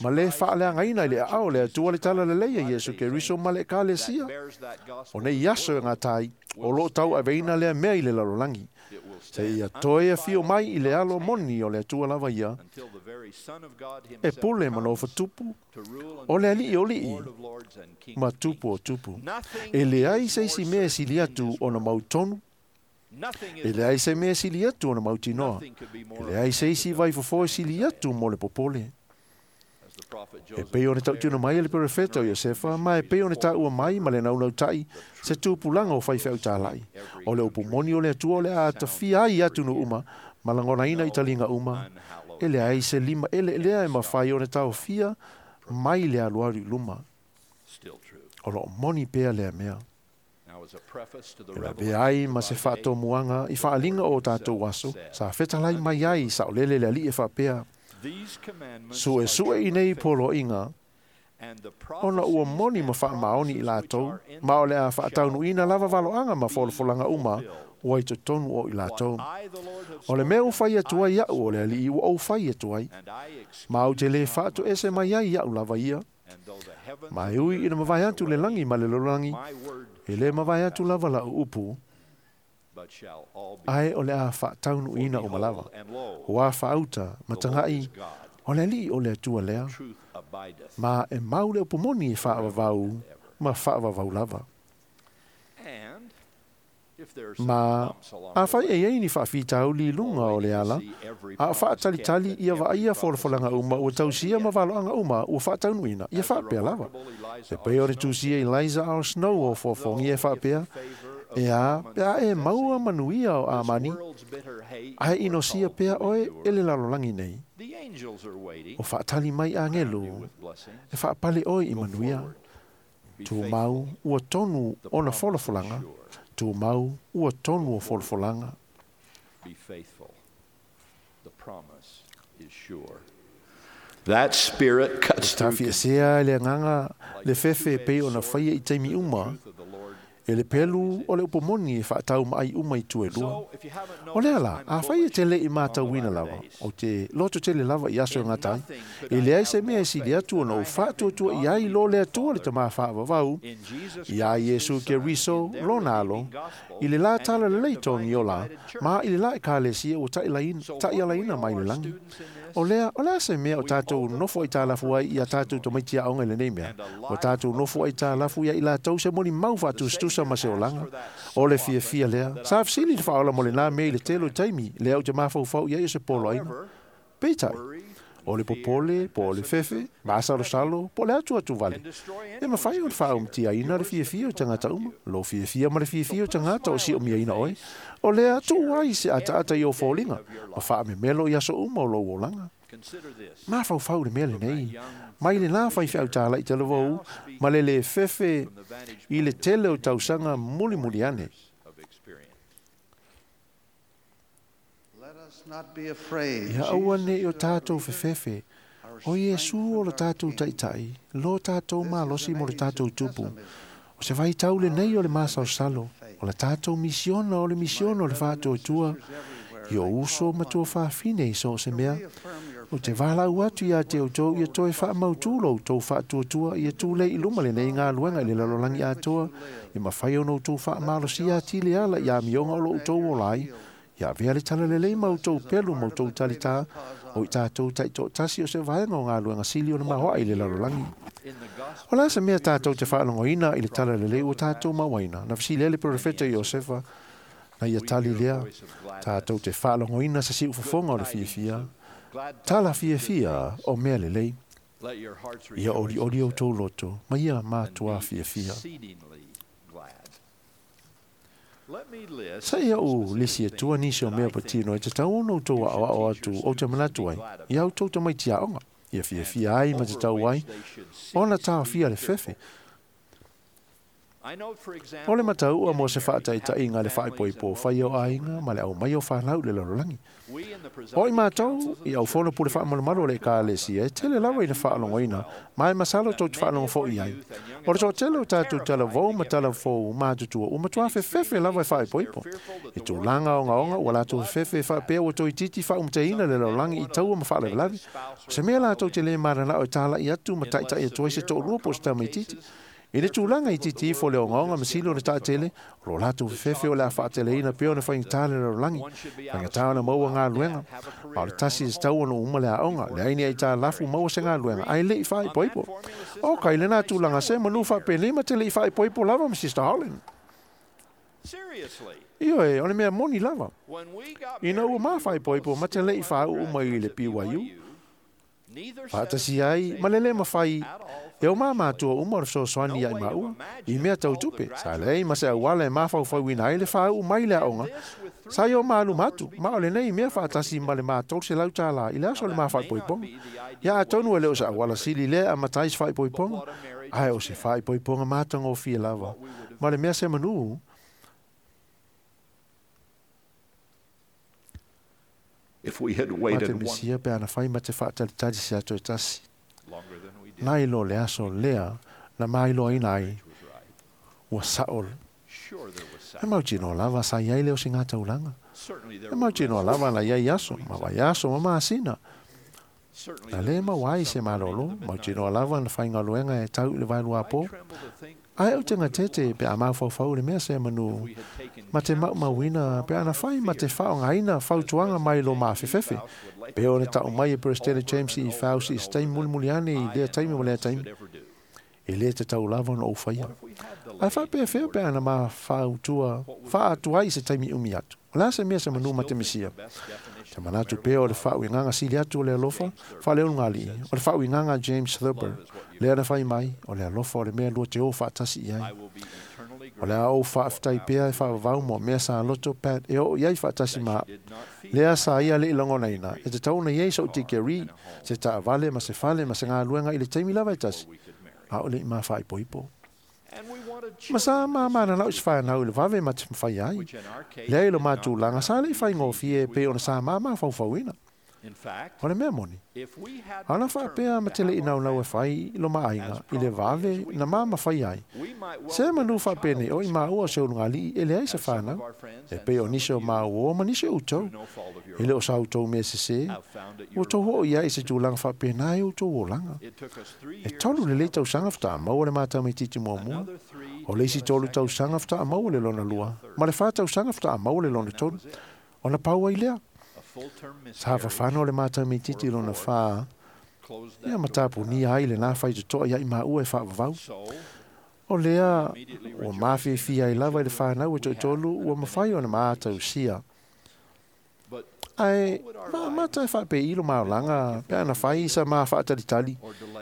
ma le whaaleangaina i le ao le atua le tala leleia Iesu ke riso ma le kalesia. O nei aso e ngā tai, o lo tau aveina lea mea i le lalolangi. Se ia toe a fio mai i le alo moni o le atua lava ia, e pule ma nofa tupu, o le ali o lii, ma tupu o tupu. E le ai se isi mea sili atu ona mautonu, e le ai se mea sili atu ona mautinoa, e le ai se isi vaifofo e sili atu mo le popole. E pei o ne tautuna mai e le perefeta o Iosefa, ma e pei o ne tāua mai ma le naunau tai, se tūpulanga o whaiwheu tālai. O le upumoni o le atua o le a tawhia ai atu no uma, ma langona ina i talinga uma, e le ai se lima ele lea e mawhai o ne tauwhia mai le aluaru luma. O lo moni pea lea mea. E la pe ai ma se whaatomuanga i whaalinga o tātou aso, sa whetalai mai ai sa olele le ali e whapea. Sue sue i nei polo inga, ona ua moni ma whaamaoni i lātou, ma o le a whaataunu ina lava valoanga ma folafolanga uma, ua i totonu o i lātou. O le mea u whai atu ai au o le ali ua au whai atu ai, ma au te le whaatu ese mai ai au lava ia. Ma e ui ina mawai atu le langi ma le lololangi, e le mawai atu lava la upu, ai o le a whaataunu ina o malawa. Hoa whaauta, matangai, o le li o le atua lea, ma e mau le upumoni e whaavavau, ma whaavavau lava. Ma a whai e ei ni whaafitauli lunga o le ala, a whaatalitali ia waaia folafolanga uma, ua tausia ma valoanga uma, ua whaataunu ina, ia whaapea lava. E pei o le tūsia Eliza ao Snow o fofongi e whaapea, e a, pea e maua manuia o amani, ai inosia pea oe e le lalolangi nei. O whaatali mai angelu, e whaapale oe i manuia. Tū mau ua tonu ona folafolanga, tū mau ua tonu o folafolanga. Be faithful. The promise is sure. That spirit cuts through. Tawhi esea le nganga le fefe pe ona whaia i taimi uma, e le pelu o le upomoni e whaatau maai uma i tuelua. O lea la, a whai e tele i mātau wina lava, o te loto tele lava i aso ngā tai, e le ai se mea e sili atu ona o whaatuatua i ai lo le atua le tamā whaavavau, i a Iesu ke riso lona alo, i le la tala le leitongi o la, ma i le la e kālesia o ta'ialaina mai le langi. O lea, o lea se mea o tātou nofo i tālafu ai i a tātou tamaiti a onga i le nei mea. O tātou nofo ai tālafu ia i lātou se moni mau whaatustusa ma se olanga. O le fia fia lea. Sa afsili le whaola mo le nā mea i le telo i taimi, lea o te mawhaufau ia i se polo aina. Peitai, o le popole, po o le fefe, maasalo salo, po le atu atu vale. E mawhai o le whaumtia ina le fia fia o tangata uma, lo fia fia ma le fia fia o tangata o si o mia ina oe. O lea tu ai se ata ata i o fōlinga, ma whaamemelo i aso uma o lo olanga. Mafaufau le mea lenei mai lenā faifeau tālaʻi talavou ma le lē fefe i le tele o tausaga mulimuli ane. Ia aua neʻi o tatou fefefe, o Iesu o le tatou Taʻitaʻi, lo tatou malosi mo le tatou tupu. O se vaitau lenei o le masalosalo, o le tatou misiona o le misiona o le faatuatua, i o uso ma tuafafine i so o se mea. Ou te valaau atu iā te outou ia toe faamautū lo outou faatuatua ia tulei i luma lenei galuega i le lalolagi atoa, ia mafai ona outou faamalosia atili ala i amioga o lo outou ola ai, ia avea le talalelei ma outou pelu ma outou talitā, o i tatou taitoatasi o se vaega o galuega sili ona maoaʻi i le lalolagi. O le a se mea tatou te faalogoina i le talalelei ua tatou mauaina? Na fesili ai le perofeta Iosefa, na ia tali lea, tatou te faalogoina se siufofoga o le fiafia, tala fiafia o mea lelei. Ia olioli outou loto, ma ia matuā fiafia. Sa ia ou lisi atua nisi o mea patino e tatau ona outou aʻoaʻo atu ou te manatu ai, ia outou tamaiti aoga, ia fiafia ai ma tatau ai, ona taofia le fefe. O le matauʻa mo se faataitaʻiga le faaipoipo fai o aiga ma le aumai o fanau i le lalolagi. O i matou i aufono pule faamalumalu o le Ekalesia e tele lava ina faalogoina, ma e masalo tou te faalogo foʻi ai. O le toatele o tatou talavou ma talafou matutua ua matuā fefefe lava e faaipoipo. I tulaga ogaoga ua latou fefefe e faapea ua toeitiiti faaumataina le lalolagi i taua ma faalavelave. O se mea latou te lē mananao e talaʻi atu ma taʻitaʻi atu ai se toʻalua po o se tamaititi. I le tulaga itiiti ifo le ogaoga ma sili ona taatele, o lo latou fefefe o le a faateleina pea ona faigata le lalolagi, faigata ona maua galuega. Ma o le tasi e tatau ona uma le aoga, leai ni aitalafu maua se galuega, ae leʻi faaipoipo. O kai lenā tulaga se manu faapenei ma te leʻi faaipoipo lava ma Sister Holland. Ioe, o le mea moni lava. Ina ua mafaaipoipo ma te leʻi faauu mai i le P Y U, faatasi ai ma le lē mafai e o mamatua uma o le fesoasoani ia i maua i mea tautupe, sa leai ma se auala e mafaufauina ai le faauu mai le aoga, sa i o maluma atu, ma o lenei mea faatasi ma le matolu selau tālā i le aso o le mafaaipoipoga. Ia atonu e le o se auala sili lea amatai se faaipoipoga, ae o se faaipoipoga matagofie lava, ma le mea se manu. If we had waited Mate mesia pe ana fai ma te faatalitali se ato e tasi. Nai lo le aso lea, na mailoaina ai, ua saʻo. E mautinoa lava sa iai le o se gataulaga. E mautinoa lava na iai aso, ma vaiaso ma masina. Na lē maua ai se malōlō, mautinoa lava na faigaluega e tau i le vaeluapō. Ae ou te gatete pe a mafaufau le mea se manu, ma te maumauina pe ana fai ma te faaaogaina fautuaga mai lo mafefefe. Pe o le taʻu mai e President James E. Faust i se taimi mulimuli ane i lea taimi ma lea taimi. E lē tatau lava ona ou faia. Ae faapefea pe ana mafautua faaatua ai se taimi umi atu. O le a se mea se manu ma te mesia. Te manatu pea o le faauigaga sili atu o le alofa, faaleologali'i, o le faauigaga James Thurber, lea na fai mai, o le alofa o le mea lua te o faatasi i ai. O le a ou faafetai pea e faavavau mo mea sa loto Pat e oo i ai faatasi ma lea sa ia leʻi lagonaina, e tatau ona iai soʻu tikeri, se taavale ma se fale ma se galuega i le taimi lava e tasi, a o leʻi mafaaipoipo. Ma sa mamananao i se fanau i le vave ma te mafai ai. Lea i lo matulaga sa leʻi faigofie pe ona sa mamafaufauina. O le mea moni, ana faapea ma te leʻi naunau e fai i lo maaiga i le vave na mamafai ai. Se manu faapenei o i maua o se ulugalii e leai se fanau, e pei o nisi o mauō ma nisi o outou. E le o sa outou mea sesē, ua tou oo i ai i se tulaga faapenā e outou olaga. E tolu lelei tausaga fataamaua le matamaititi muamua, o le isi tolu tausaga fataamaua le lona lua, ma le fā tausaga fataamaua le lona tolu, ona pau ai lea. Sa fafano le matamaititi lona fā, ia matapunia ai lenā faitotoa ia i maua e faavavau. O lea ua mafiafia ai lava i le fanau e toʻatolu ua mafai ona maatausia. Ae maamata e faapei lo maolaga pe ana fai sa mafaatalitali,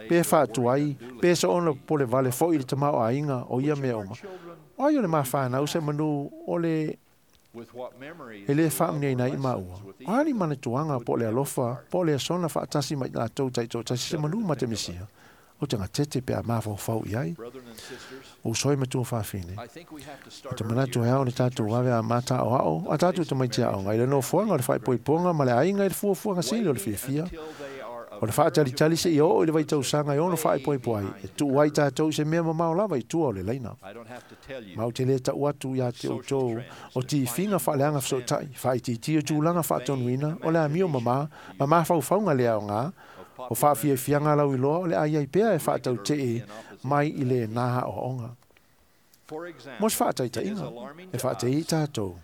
pe faatuai, pe soona pole vale foʻi i le tamaoaiga o ia mea uma. O ai o le mafanau se manu o le E le whaamnia i maua. O ali mana tuanga po le alofa, po le asona whaatasi mai lātou taitoatasi se manu ma te misia. O te ngatete pe a mawhaufau i ai. O soi matua whawhine. O te manatu hea o le tātou wawe a mata o ao, a tātou te maitia aonga. I le nofoanga o le whaipoiponga ma le ainga i le fuafuanga sili o le fiafia. O le whaatalitali se i o i le vaitausanga i ono whaipoipo ai. E tuu ai tātou i se mea mamao lava i tua o le leina. Mau te le tau atu ia te outou o tifiga faaleaga fesootaʻi faaitiitia tulaga faatonuina o le amio mamā ma mafaufauga le aogā o faafiafiaga lauiloa o le aiai pea e faatautee mai i lenā aoaoga. Mo se faataitaiga e faatei tatou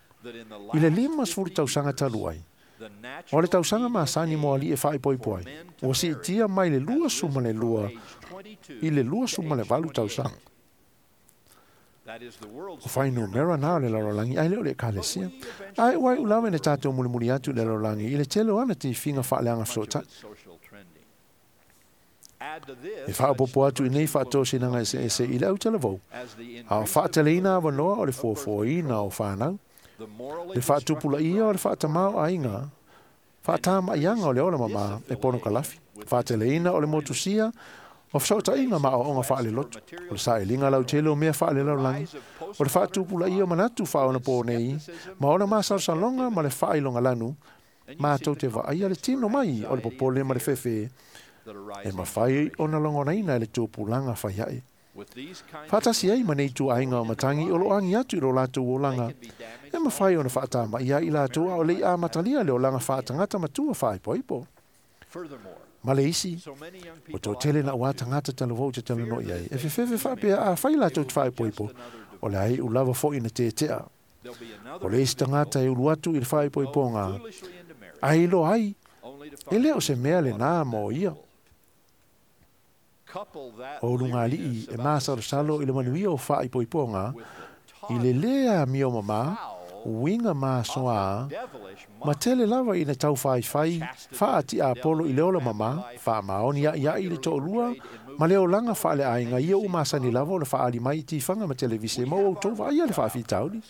i le lima sefulu tausaga talu ai o le tausaga masani mo alii e faaipoipo ai ua siitia mai le lua suma le lua i le lua suma le valu tausaga. O whainumera nā o le lalolagi ai le o le ekalesia. Ai uai ulawe ne tātou mulimuli atu le lalolagi i le tele o ana tifiga faaleaga fesootaʻi. E faaopopo atu i nei faatosinaga eseese i le autalavou, a o faateleina avanoa o le fuafuaina o whanau, le faatupulaia o le faatamā o aiga, faatamaiaga o le ola mamā e pono kalafi, faateleina o le motusia, o fesootaiga ma aoaoga faaleloto, o le sailiga lautele o mea faalelalolagi, o le faatupulaia o manatu faaonapō nei, ma ona masalosaloga ma le faailogalanu, matou te vaaia le tino mai o le popole ma le fefe, e mawhai o na longonaina e le tupulaga faiaʻe. Faatasi ai ma nei tuaiga o matagi o loo agi atu i lo latou olaga, e mawhai ona faatamaia i latou a o lei amatalia le olaga faatagata matua faaipoipo. Ma le isi, o tō na ua tangata talavou te talanoa ai, e fefefe faapea a fai latou te faaipoipo, o le ai ulava foi na tetea. O le isi tagata e ulu atu i le faaipoipoga, ai lo ai, e leo se mea le nā mo ia. O lungalii e masalosalo i le manuia o faaipoipoga, i le lea mio mamā, uiga masoā, ma tele lava ina taufaifai faati apolo i le ola mamā, faamaoni aiai i le toʻalua, ma le olaga faaleaiga ia ua masani lava o le faaali mai i tifaga ma televise ma ua outou vaaia le faafitauli.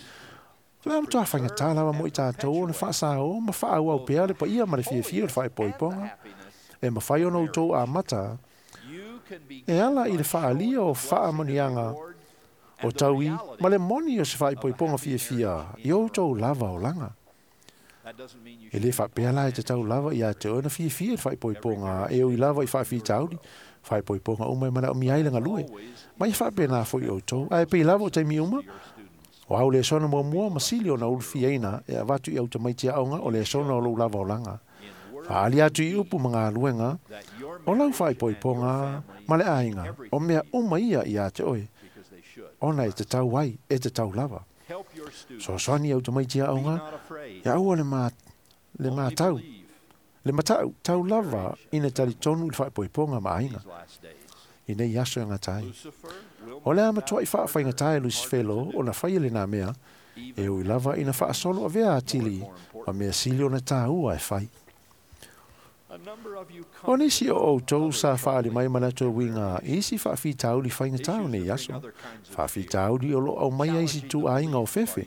O le a matuā faigatā lava mo i tatou ona faasāō ma faaauau pea le paia ma le fiafia o le faaipoipoga, e mafai ona outou amata, e ala i le faalia o faamanuiaga o taui ma le moni o se faaipoipoga fiafia i outou lava olaga. E le faapea la e tatau lava ia te oe na fiafia i le faaipoipoga e ui lava i faafitauli, faaipoipoga uma e manaomia ai le galue. Ma ia faapenā foi outou, ae pei lava o taimi uma, o au le sona muamua ma sili ona ulufiaina e avatu i autamaiti aoga o le sona o lou lava olaga. Faali atu i upu ma galuega, o lau faaipoipoga ma le aiga, o mea uma ia ia te oe, ona e tatau ai, e tatau lava. Soasoani autamaiti aoga, ia aua le, ma, le matau, le matau tau lava ina talitonu i le faaipoipoga ma aiga. I nei aso e gatai. O le a matuai faafaigata e Lusifelo o na fai e lenā mea, e ui lava ina faasolo avea atili, ma mea sili ona tāua e fai. O nisi o outou sa faali mai manatu e uiga i isi faafitauli faigatā o nei aso. Faafitauli o loo aumaia isi tuaiga o fefe,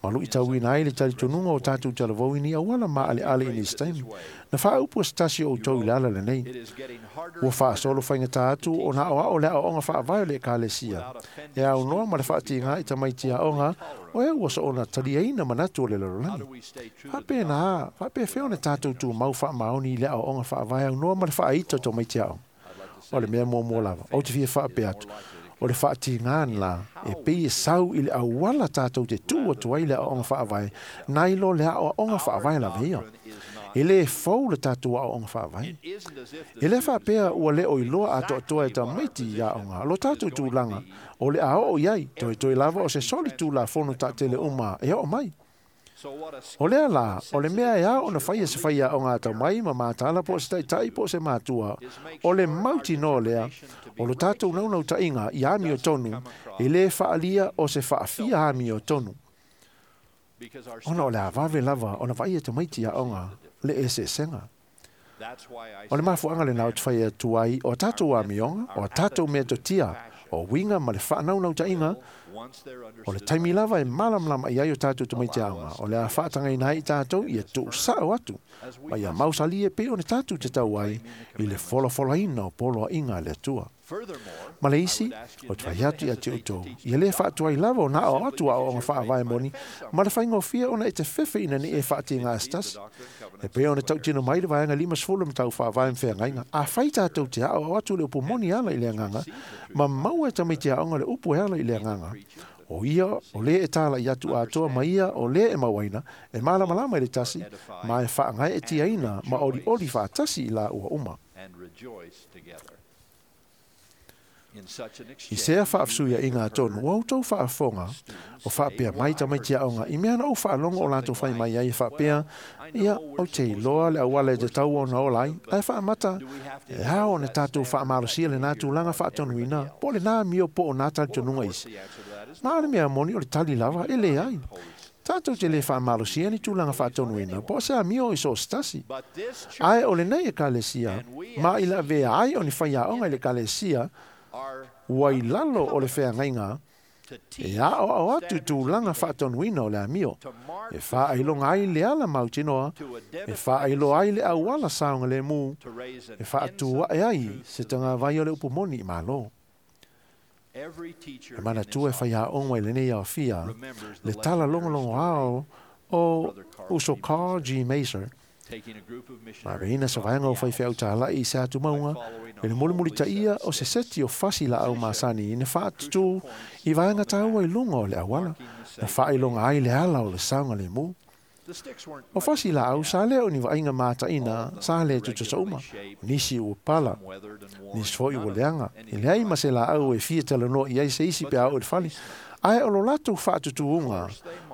ma luitauina ai le talitonuga o tatou talavou i ni auala maaleale i nisi taimi. Na faaupu e se tasi o outou i le ala lenei. Ua faasolo faigatā atu ona aoao le aoaoga faavae o le ekalesia. E aunoa ma le faatigā i tamaiti aoga, o e ua soona taliaina manatu o le lalolagi. Faapena, faapefea ona tatou tumau faamaoni i le aoaoga faavae aunoa ma le faaita o tamaiti aoga. O le mea muamua lava, ou te fia faapea atu, o le faatigā la e pei e sau i le auala tatou te tuu atu ai le aoaoga faavae, nai lo le aoaoga faavae lava ia. E lē fou le tatou aoaoga faavae. E lē faapea ua le o iloa atoatoa e tamaiti i aoga, lo tatou tulaga, o le a oo i ai, toetoe lava o se soli tulafono taatele uma e oo mai. O lea la, o le mea e ao ona faia se fai aoga atamai ma matala po o se taitai po o se matua, o le mautinoa lea, o lo tatou naunautaiga i amiotonu, e lē faalia o se faafia amiotonu. Ona o le avave lava ona vaaia tamaiti aoga le eseesega. O le mafuaaga lenā o te fai atu ai o a tatou amioga, o a tatou mea totia, o uiga ma le faanaunautaiga, O le taimi lava e malamalama i ai o tātou tamaiti aoga, o le a faatagaina ai i tātou ia tuusao atu, ma ia mausalie pei ona tātou te tau ai i le folafolaina o poloaiga a le Atua. Ma le isi, o te fai atu ia te outou, ia lē faatuai lava ona aoao atu aoaoga faavae moni, ma le faigofie ona e te fefe ina nei e faatīgā se tasi. E pei ona tautino mai le vaega limasefulu ma tau faavae ma feagaiga, afai tātou te aoao atu le upu moni e ala i le agaga, ma maua e tamaiti aoga le upu e ala i le agaga, o ia o lē e talai atu atoa ma ia o lē e mauaina, e malamalama i le tasi, ma e faagaeetiaina ma olioli faatasi i laua uma. I sea faafesuiaiga atonu, ua outou faafofoga o faapea mai tamaiti aoga i mea na ou faalogo o latou fai mai ai e faapea, ia, ou te iloa le auala e tatau ona ola ai, ae faamata, e ao ona tatou faamalosia lenā tulaga faatonuina, po o lenā amio po o nā talitonuga isi. Ma o le mea moni o le tali lava, e leai. Tatou te lē faamalosia ni tulaga faatonuina po o se amio i so o se tasi. Ae o lenei Ekalesia, ma i le avea ai o ni faiaoga i le Ekalesia, ua i lalo o le feagaiga e aoao atu i tulaga faatonuina o le amio, e faailoga ai le ala mautinoa, e faailoa ai le auala saogalemu, e faatu ae ai se tagavai o le upu moni i Malo. E manatua e faiaoga i lenei aofia le tala logologoao o uso Carl G. Maser, na aveina se vaega o faifeau talai i se atumauga i le mulimulitaia o se seti o fasi laau masani na faatutū i vaega taua i luga o le auala, na faailoga ai le ala o le saogalemu. O fasi laau sa lē o ni vaaiga mataina sa lē tutusa uma, o nisi ua pala, nisi foi ua leaga, e leai ma se laau e fia talanoa i ai se isi pe a oo i le fale, ae o lo latou faatutuuga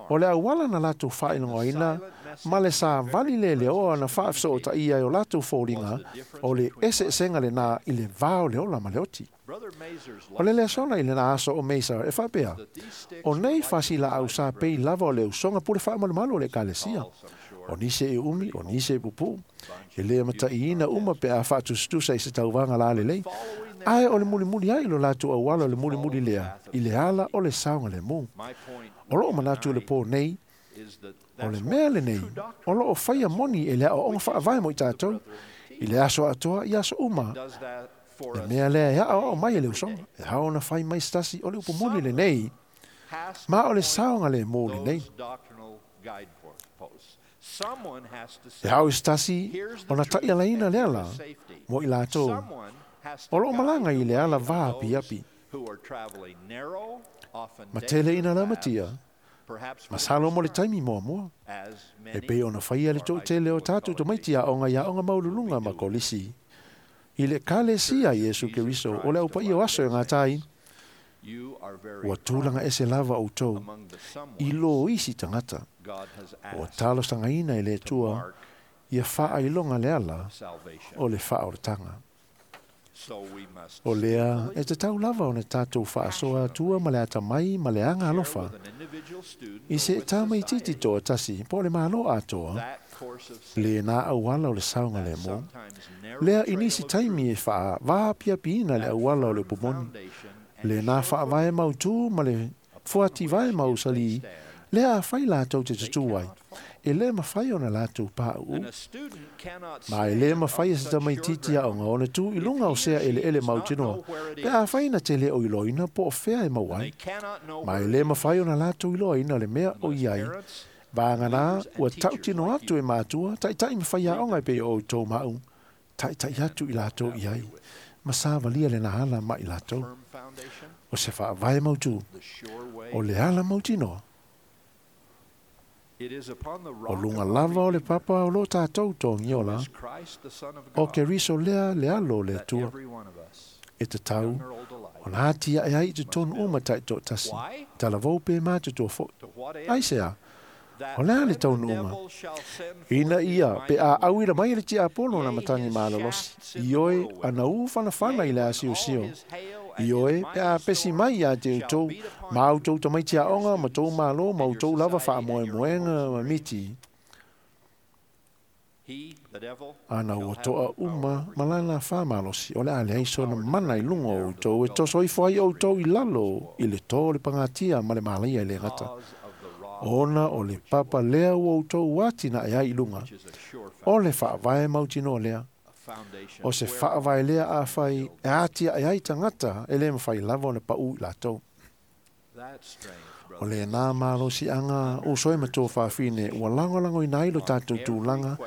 o le auala na latou faailogaina ma le savali leleoa na faafesootaia e o latou foliga o le eseesega lenā i le va o le ola ma le oti. O le lesona i lenā aso o Maser e faapea, o nei fasi laau sa pei lava o le usoga pule faamalumalu o le Ekalesia. O nisi e umi, o nisi e pupuu, e lē mataiina uma pe a faatusatusa i se tauvaga lalelei, ae o le mulimuli ai lo latou auala o le mulimuli lea i le ala o le saogalemu. O loo manatu i le pō nei, o le mea lenei o loo faia moni e le aoaoga faavae mo i tatou i le aso atoa i aso uma. Le mea lea e aoao mai e le usoga, e ao ona fai mai se tasi o le upu moni lenei, ma o le saogalemu lenei. E ao i se tasi ona taialaina le ala mo i latou o loo malaga i le ala vaapiapi. Ma tele ina lamatia, masalo mo le taimi muamua, e pei ona faia le toatele o tatou tamaiti aoga i aoga maualuluga ma kolisi i le Ekalesia Iesu Keriso o le aupaia o aso e gatai, ua tulaga ese lava outou i lō isi tagata, ua talosagaina e le Atua ia faailoga le ala o le faaolataga. O lea e tatau lava ona tatou faasoa atua ma le atamai ma le aga alofa i se tamaitiiti toatasi po o le Malo atoa, lenā auala o le saogalemu, lea i nisi taimi e faavaapiapiina le auala o le upu moni, lenā faavae mautū ma le fuativae mausalī, lea afai latou te tutū ai, e lē mafai ona latou pauu. Ma e lē mafai e se tamaitiiti aoga ona tū i luga o sea eleele mautinoa, pe afai na te lē o iloaina po o fea e maua ai. Ma e lē mafai ona latou iloaina le mea o i ai, vaganā ua tautino atu e matua, taitai ma faiaoga e pei o outou ma au, taitai atu i latou i ai, ma savalia lenā ala ma i latou. O se faavae mautū, o le ala mautinoa, o luga lava o le papa o loo tatou togiola, o Keriso lea le alo o le Atua, e tatau ona atiae ai i totonu uma taitoatasi, talavou pe matutua foi. Aisea, o le a le taunuuga? Ina ia pe a auina mai e le tiapolo na matagi malolosi, ioe ana u fanafana i le asiosio, ioe pe a pesi mai ia te outou, ma outou tamaiti aoga ma tou malo ma outou lava faamoemoega ma miti. Ana ua toa uma malana whamalosi o le ale ai sona mana i lunga o tou e toso ifo ai o tou i lalo i le tō le pangatia ma le malaia i le gata. Ona o le papa lea ua outou atina e ai i lunga. O le whaavae mautino lea. O se whaavae lea a whai e atia e ai tangata e le mawhai lava o le pau i lātou. O le nā malosi anga o soe ma tō whawhine ua langolango i nā ilo tātou tūlanga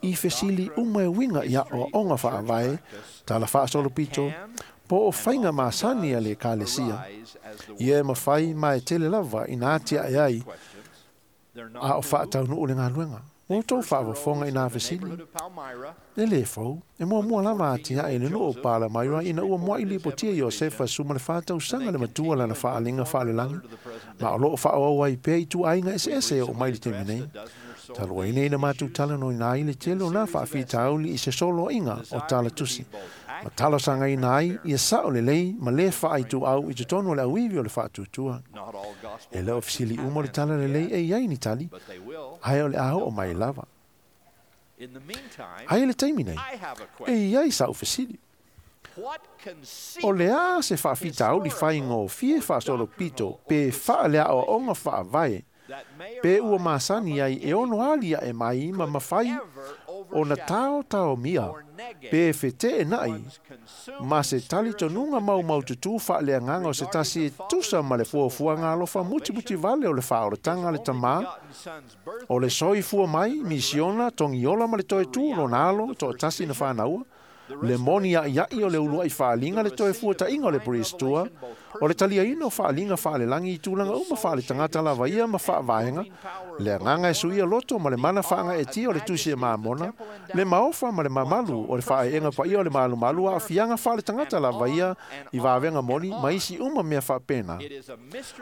i fesili uma e winga ia o onga whaavae, tala whaasolo pito, po o whainga maasani a le kalesia. Ia e mawhai ma e tele lava i nā atia e ai a o whaatau nuu le ngā luenga. O tō whaawafonga i nā fesili. E le fau, e mua mua lava atia e le nuu o pāla maira ina ua mua ili potia Iosefa suma le whātau sanga le matua lana whaalinga whaalelangi. Ma o loo whaoau ai pē i tu ainga ese ese o mai le temi nei. Talua ine ina mātou tala no ina ai le tele o nā whaafitauli i se solo inga o tala tusi. Ma tala sanga ina ai ia sao le lei ma le whaai tu au i te tono le auivi o le whaatutua. E leo fisili umo le tala le lei e iai ni tali, ai o le aho o mai lava. Ai le taimi nei, e iai sa ufesili. O le a se whaafitauli whaingo fie whaasolo pito pe whaalea o onga whaavae. Pe ua masani ai e ono alia e mai ma mawhai o na tao tao mia pe whete e nai ma se tali tonunga mau mau tutu whaalea nganga o se tasi e tusa ma le fuafua ngā alofa muti muti vale o le whaoratanga le tamā o le soi fua mai misiona tongiola ma le toe tū lo nalo to tasi na whānaua le moni a iai o le ulua i whaalinga le toe fua tainga o le poristua, o le talia ina o whaalinga whaalelangi i tūlanga uma whaale tangata lava ia ma whaavaenga, le anganga e suia loto ma le mana whaanga e tia o le tusi e maamona, le maofa ma le mamalu o le whaeenga paia o le malumalu a fianga whaale tangata lava ia i vāvenga moni ma isi uma mea whaapena.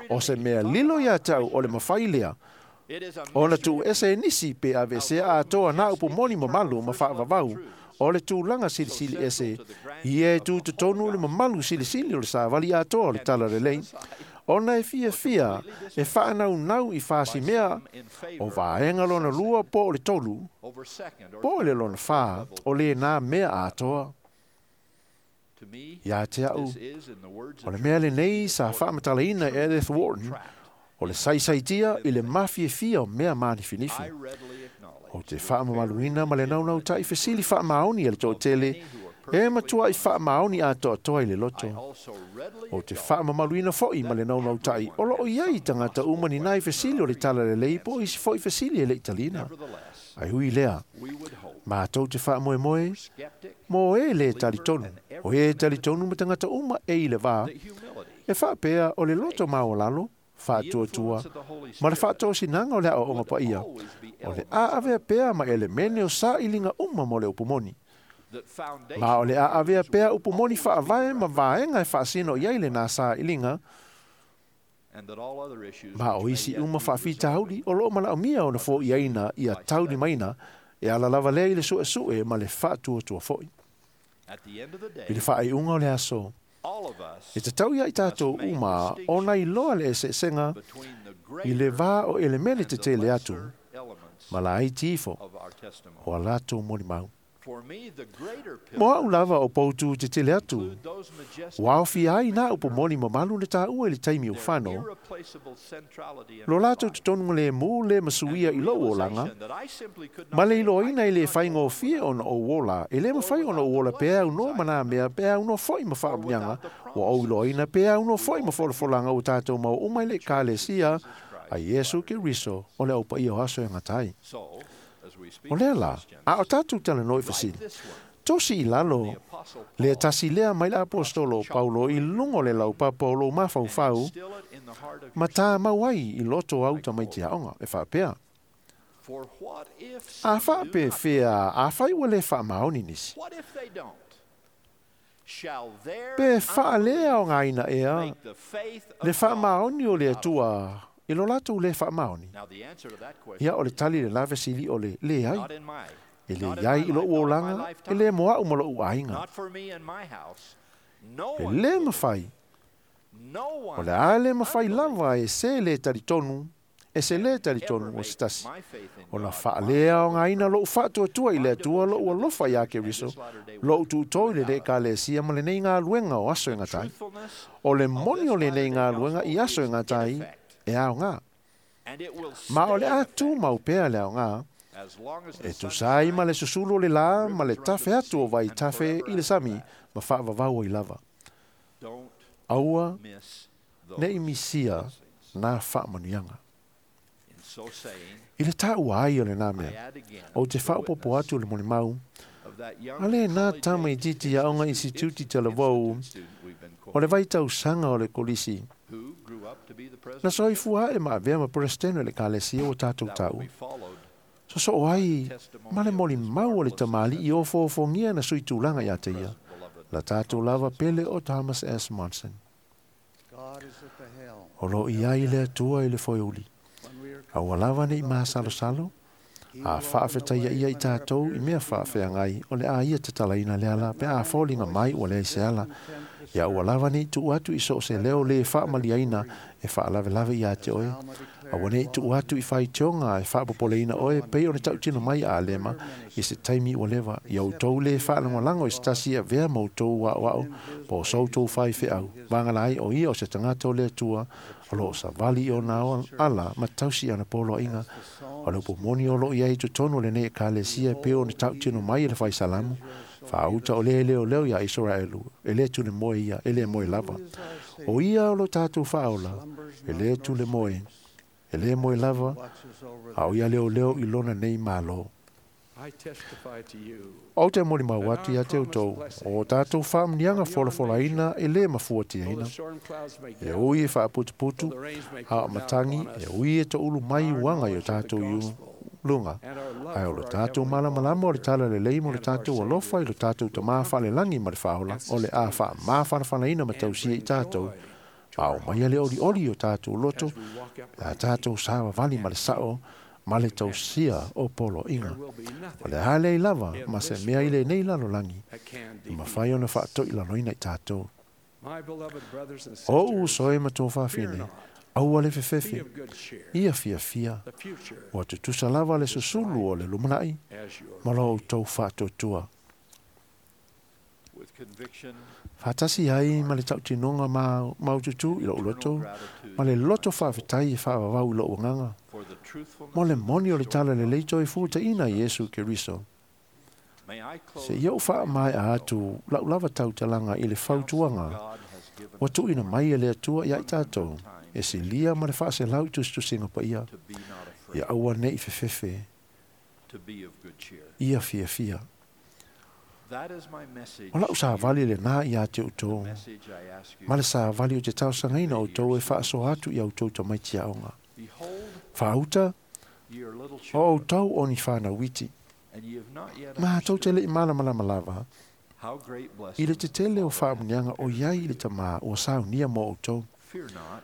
O se mea lilo ia tau o le mawhailea, o na tuu ese e nisi pe avese a atoa nā upu moni mamalu ma whaavavau, o le tūlanga silisili ese, ia e tū tonu le mamalu silisili o le sāvali atoa o le tala lelei, ona e fia fia e whaanau nau i whaasi mea o vaenga lona lua po o le tolu, po o le lona whā o le nā mea atoa. Ia te au, o le mea le nei sa whaamatalaina Edith Wharton, o le saisaitia i le mafia fia o mea māniwhiniwhi. O te whaamamaluina ma le naunau tai fesili whaamaoni e le tōtele, e matua i whaamaoni a toatoa i le loto. O te whaamamaluina foi ma le naunau tai, o loo iai tangata uma ni nai fesili o le tala le lei po isi foi fesili e le Italina. Ai hui lea, mātou te whaamoemoe, mō e le talitonu, o e talitonu ma tangata uma e i le vā, e whaapea o le loto maolalo, whaatuatua, ma le whaatōsinanga o le ao onga paia, o le aavea pea ma elemene o sa ilinga uma mo le upumoni. Ma o le aavea pea upumoni whaavae ma vaenga e whaasino iai le nā sa ilinga, ma o isi uma whaafitauli o loo malao mia o na fo iaina ia tauni maina e ala lava lea i le sue sue ma le whaatuatua foi. I le whaaiunga o le aso, e te tau ia i tātou uma o nai loa le eseesenga i le vā o elemene te tele atu, ma la ai tifo o a lātou molimau. Mo au lava o poutu te tele atu, o aofi ai nā upo moni mamalu le tāua i le taimi o whano, lo lātou te tonunga le mū le masuia i lou olanga, ma le iloaina i le whaingōfie ona o uola, e le mawhai ona o uola pē au no mana mea pē au no foi ma whaamnianga, o au iloaina pē au no foi ma wholafolanga o tātou mau umai le kalesia a Iesu ke Riso o le aupa ia o aso e ngatai. O lea la, a o tātou tala noi fasili, tosi i lalo, le tasi lea mai le apostolo Paulo i lungo le laupapa o lo mafaufau, ma tā mau ai i loto au tamaiti aonga, e whaapea. A whaape whea, a whai ua le whaamaoni nisi. Pe whaalea o ngā ina ea, le whaamaoni o le atua, i lo lātou le whaamaoni. Ia o le tali le lavesili o le le ai. E le iai i lo uolanga, e le moa u ma lo uainga. E le mawhai. O le a le mawhai lava e se le talitonu, E se lē talitonu o se tasi. Ona faalea aogaina loʻu faatuatua i le Atua loʻu alofa iā Keriso, loʻu tuʻutō i lenei ekalesia ma lenei galuega o aso e gata ai. O le moni o lenei galuega i aso e gata ai e aogā. Ma o le a tumau pea le aogā, e tusa ai ma le susulu o le lā ma le tafe atu o vaitafe i le sami ma faavavau ai lava. Aua neʻi misia na faamanuiaga. I le taua ai o lenā mea, ou te faaopopo atu le molimau, a lenā tama itiiti aoga isituti talavou, o le vaitausaga o le kolisi, na soifua aʻe ma avea ma peresetene o le ekalesia ua tatou taua. Sosoo ai ma le molimau o le tamalii ofoofogia na sui tulaga iā te ia, la tatou lava pele o Thomas S. Monson. God is at the helm. O loo i ai le Atua i le foeuli. Aua lava neʻi masalosalo, a faafetaia ia i tatou i mea faafeagai o le a ia tatalaina le ala pe a foliga mai ua leai se ala. Ia ua lava neʻi tuu atu i so o se leo lē faamaliaina e faalavelave iā te oe. Aua neʻi tuu atu i faitioga e faapopoleina oe pei ona tautino mai a Alema i se taimi ua leva. Ia outou lē faalagolago i se tasi e avea ma outou aoao po o so outou faifeau. Vagana ai o ia o se tagata o le Atua o loo savali i ona ala ma tausi i ana poloaiga. O le upu moni o loo i ai i totonu o lenei ekalesia e pei ona tautino mai e le Faisalamo, faauta o lē leoleo iā Isaraelu, e lē tule moe ia, e lē moe lava. O ia o lo tatou faaola, e lē tule moe, e lē moe lava, a o ia leoleo i lona nei Mālō. I testify to you Ou te molimau atu iā te outou, o tatou faamanuiaga folafolaina e lē mafuatiaina. though the storm clouds may E gather, ui e faaputuputu, though the rains may a o pour down matagi, upon e us, ui e toʻulu mai uaga i o tatou iu luga. and our love Ae o for lo our tatou Heavenly malamalama o le Father tala lelei ma le and our tatou alofa i lo tatou tamā faalelagi ma le faaola, o le a faamafanafanaina ma and tausia i bring tatou, joy to ma our o mai le hearts olioli o tatou loto, as we walk le a uprightly. tatou savavali ma le saʻo, ma le tausia o poloaiga. There will be O nothing le a leai lava in ma se this mea i world lenei lalolagi, that can e defeat mafai ona us. faatoʻilaloina i tatou. My beloved brothers and O ou sisters, uso e ma tō fear faafine, not. aua le Be fefefe, of good cheer. ia fiafia, The future ua tutusa lava le susulu o le lumanaʻi, as your ma lo outou faatuatua. With conviction, Faatasi ai ma le tautinoga ma maututū i lou loto, ma le loto faafetai e faavavau i lou agaga. for the truthfulness Mo le of the moni o le restored tala lelei gospel toe of futaʻina Jesus Iesu Christ. Keriso. May I close Se ia ou faamaea atu lau lava tautalaga i le the counsel fautuaga God has given ua us tuuina mai e le Atua iā i tatou, times e silia ma le faaselau i tusitusiga paia, to be not afraid, ia aua neʻi fefefe, to be of good cheer. ia fiafia. That is my message. O lau to you, savali lenā iā te outou, the message I ask you ma le to savali o te taosagaina outou e faasoa atu i outou tamaiti aoga. Behold, Faauta, ye are little o children, outou o ni whānau iti. and ye have not yet Ma tou te understood leʻi malamalama lava, how great i le blessings the tetele o Father hath faamanuiaga o prepared iai for i le you. tamā ua saunia mo outou. Fear not,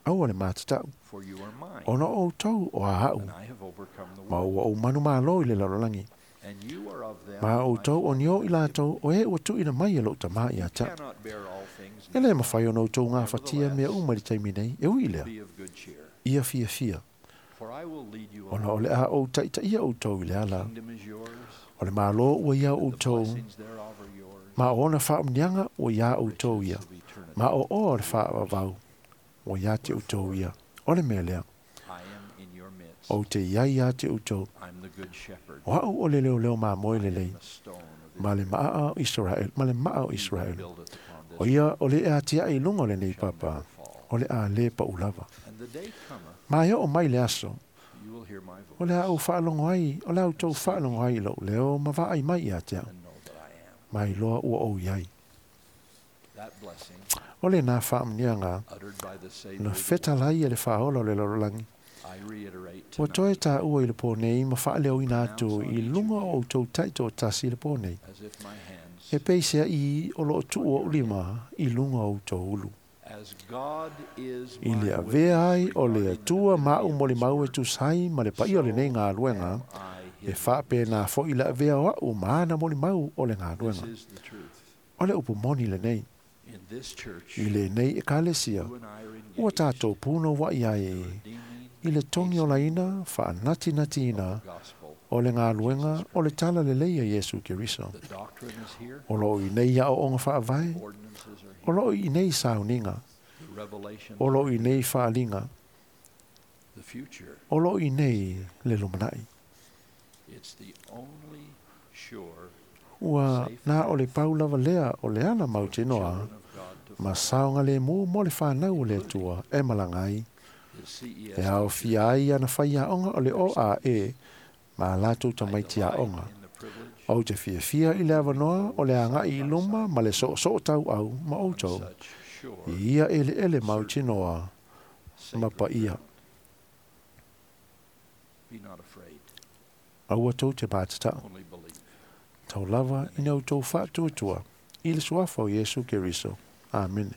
Aua le matataʻu, for you are mine, ona o outou o aaʻu, and I have overcome the ma world. ua ou manumālō i le lalolagi. And you are of them, Ma my outou o Father ni o i hath given. latou o e ua tuuina mai e lou tamā iā te aʻu. Cannot bear all things E lē now. mafai ona outou gafatia mea uma i le taimi nei, e ui lea, Be of good cheer, ia fiafia, for I will lead you ona along. o le a ou taʻitaʻia outou i le The ala. kingdom is yours, O le Mālō ua iā and the outou, blessings thereof are yours. ma o ona faamanuiaga ua iā outou Riches ia, of eternity. ma o oa o le faavavau ua iā te outou ia. O le mea lea, I am in your midst. ou te iai iā te outou, I'm the good shepherd. o au o le leoleo mamoe I am lelei, the stone of ma le Israel. maa o Israel, ma le maa o He that Israel. buildeth upon O this ia rock o le ea tiaʻi i luga o lenei shall papa, never fall. o le a lē paʻu lava. And the day cometh, Ma e oo mai le aso, you will hear my o le a ou voice faalogo ai, o le a outou faalogo ai i lou leo ma vaai mai iā te au, and know that I am. ma iloa ua ou iai. That blessing O le nā faamanuiaga, uttered by the Savior na of the fetalai e le faaola o le lalolagi. world, I reiterate Ua toe tonight, tāua i le pō nei ma faaleoina atu i luga o outou taitoatasi i le pō nei. as if my hands, E peisea i o loo tuu o ulima i luga o outou ulu. as God is I my le avea ai witness o le regarding the Atua ma divinity au of moli this mau e work, tusai ma le paia o lenei galuega, am I e his faapena foʻi le avea o aʻu ma ana molimau o le witness. galuega. This is the truth. O le upu moni lenei, In this church, i lenei ekalesia, you and I are ua engaged tatou puno waʻi ai in the redeeming i le togi olaina faanatinatiina o le galuega o le tala lelei a Iesu Keriso. O loo i nei aoaoga faavae, o loo i nei sauniga, o loo i nei faaliga, o loo i nei le lumanai. Ua na o le pau lava lea o le ala mautinoa ma saoga lemu mo le fanau o le Atua e malaga ai. E aofia ai ana faiaoga o le O A E ma latou tamaiti aoga. Ou te fiafia i le avanoa o le agai i luma ma le soosoo tauau ma outou. I ia eleele mautinoa ma paia. Aua tou te patata. Tau lava ina outou faatuatua i le suafa o Iesu Keriso. Amene.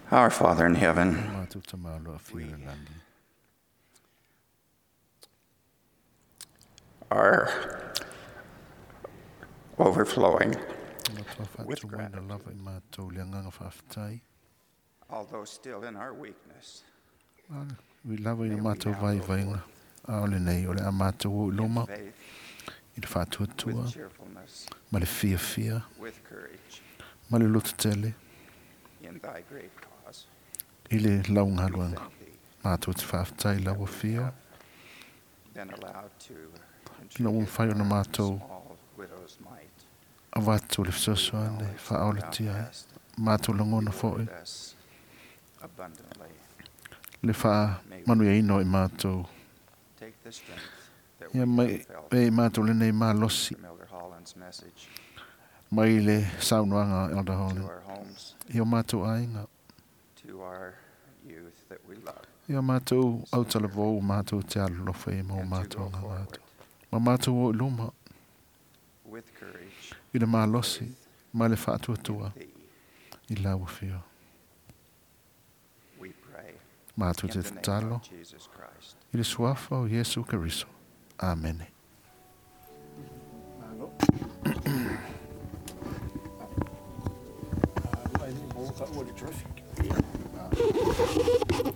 Our Father in heaven, are overflowing with gratitude. Although still in our weakness, Ui lava i le mātou vaivaiga a o lenei o le a mātou o i loma faith, i le faatuatua with cheerfulness, ma le fiafia with courage, ma le lototele in thy great cause, i le laugaluega. thank thee, Mātou te faafetai lau afio then allowed to ina ua contribute mafai ona our mātou small widow's mite. avatu le fesoasoani faaolatia ai mātou lagona foʻi Reward us abundantly. le faamanuiaina o i mātou Take the strength that ia we mai have felt e i mātou lenei malosi from Elder Holland's message mai le saunoaga a Elder to Holland our homes, i o mātou aiga to our youth that we love, i o mātou autalavou o mātou te alolofa i ma o and to mātou go aga forward atu ma mātou o i luma with courage i le malosi ma le faatuatua thee. i lau afio. We pray Mātou in te the name tatalo of Jesus Christ. i le suafa o Iesu Keriso. Amene. Ai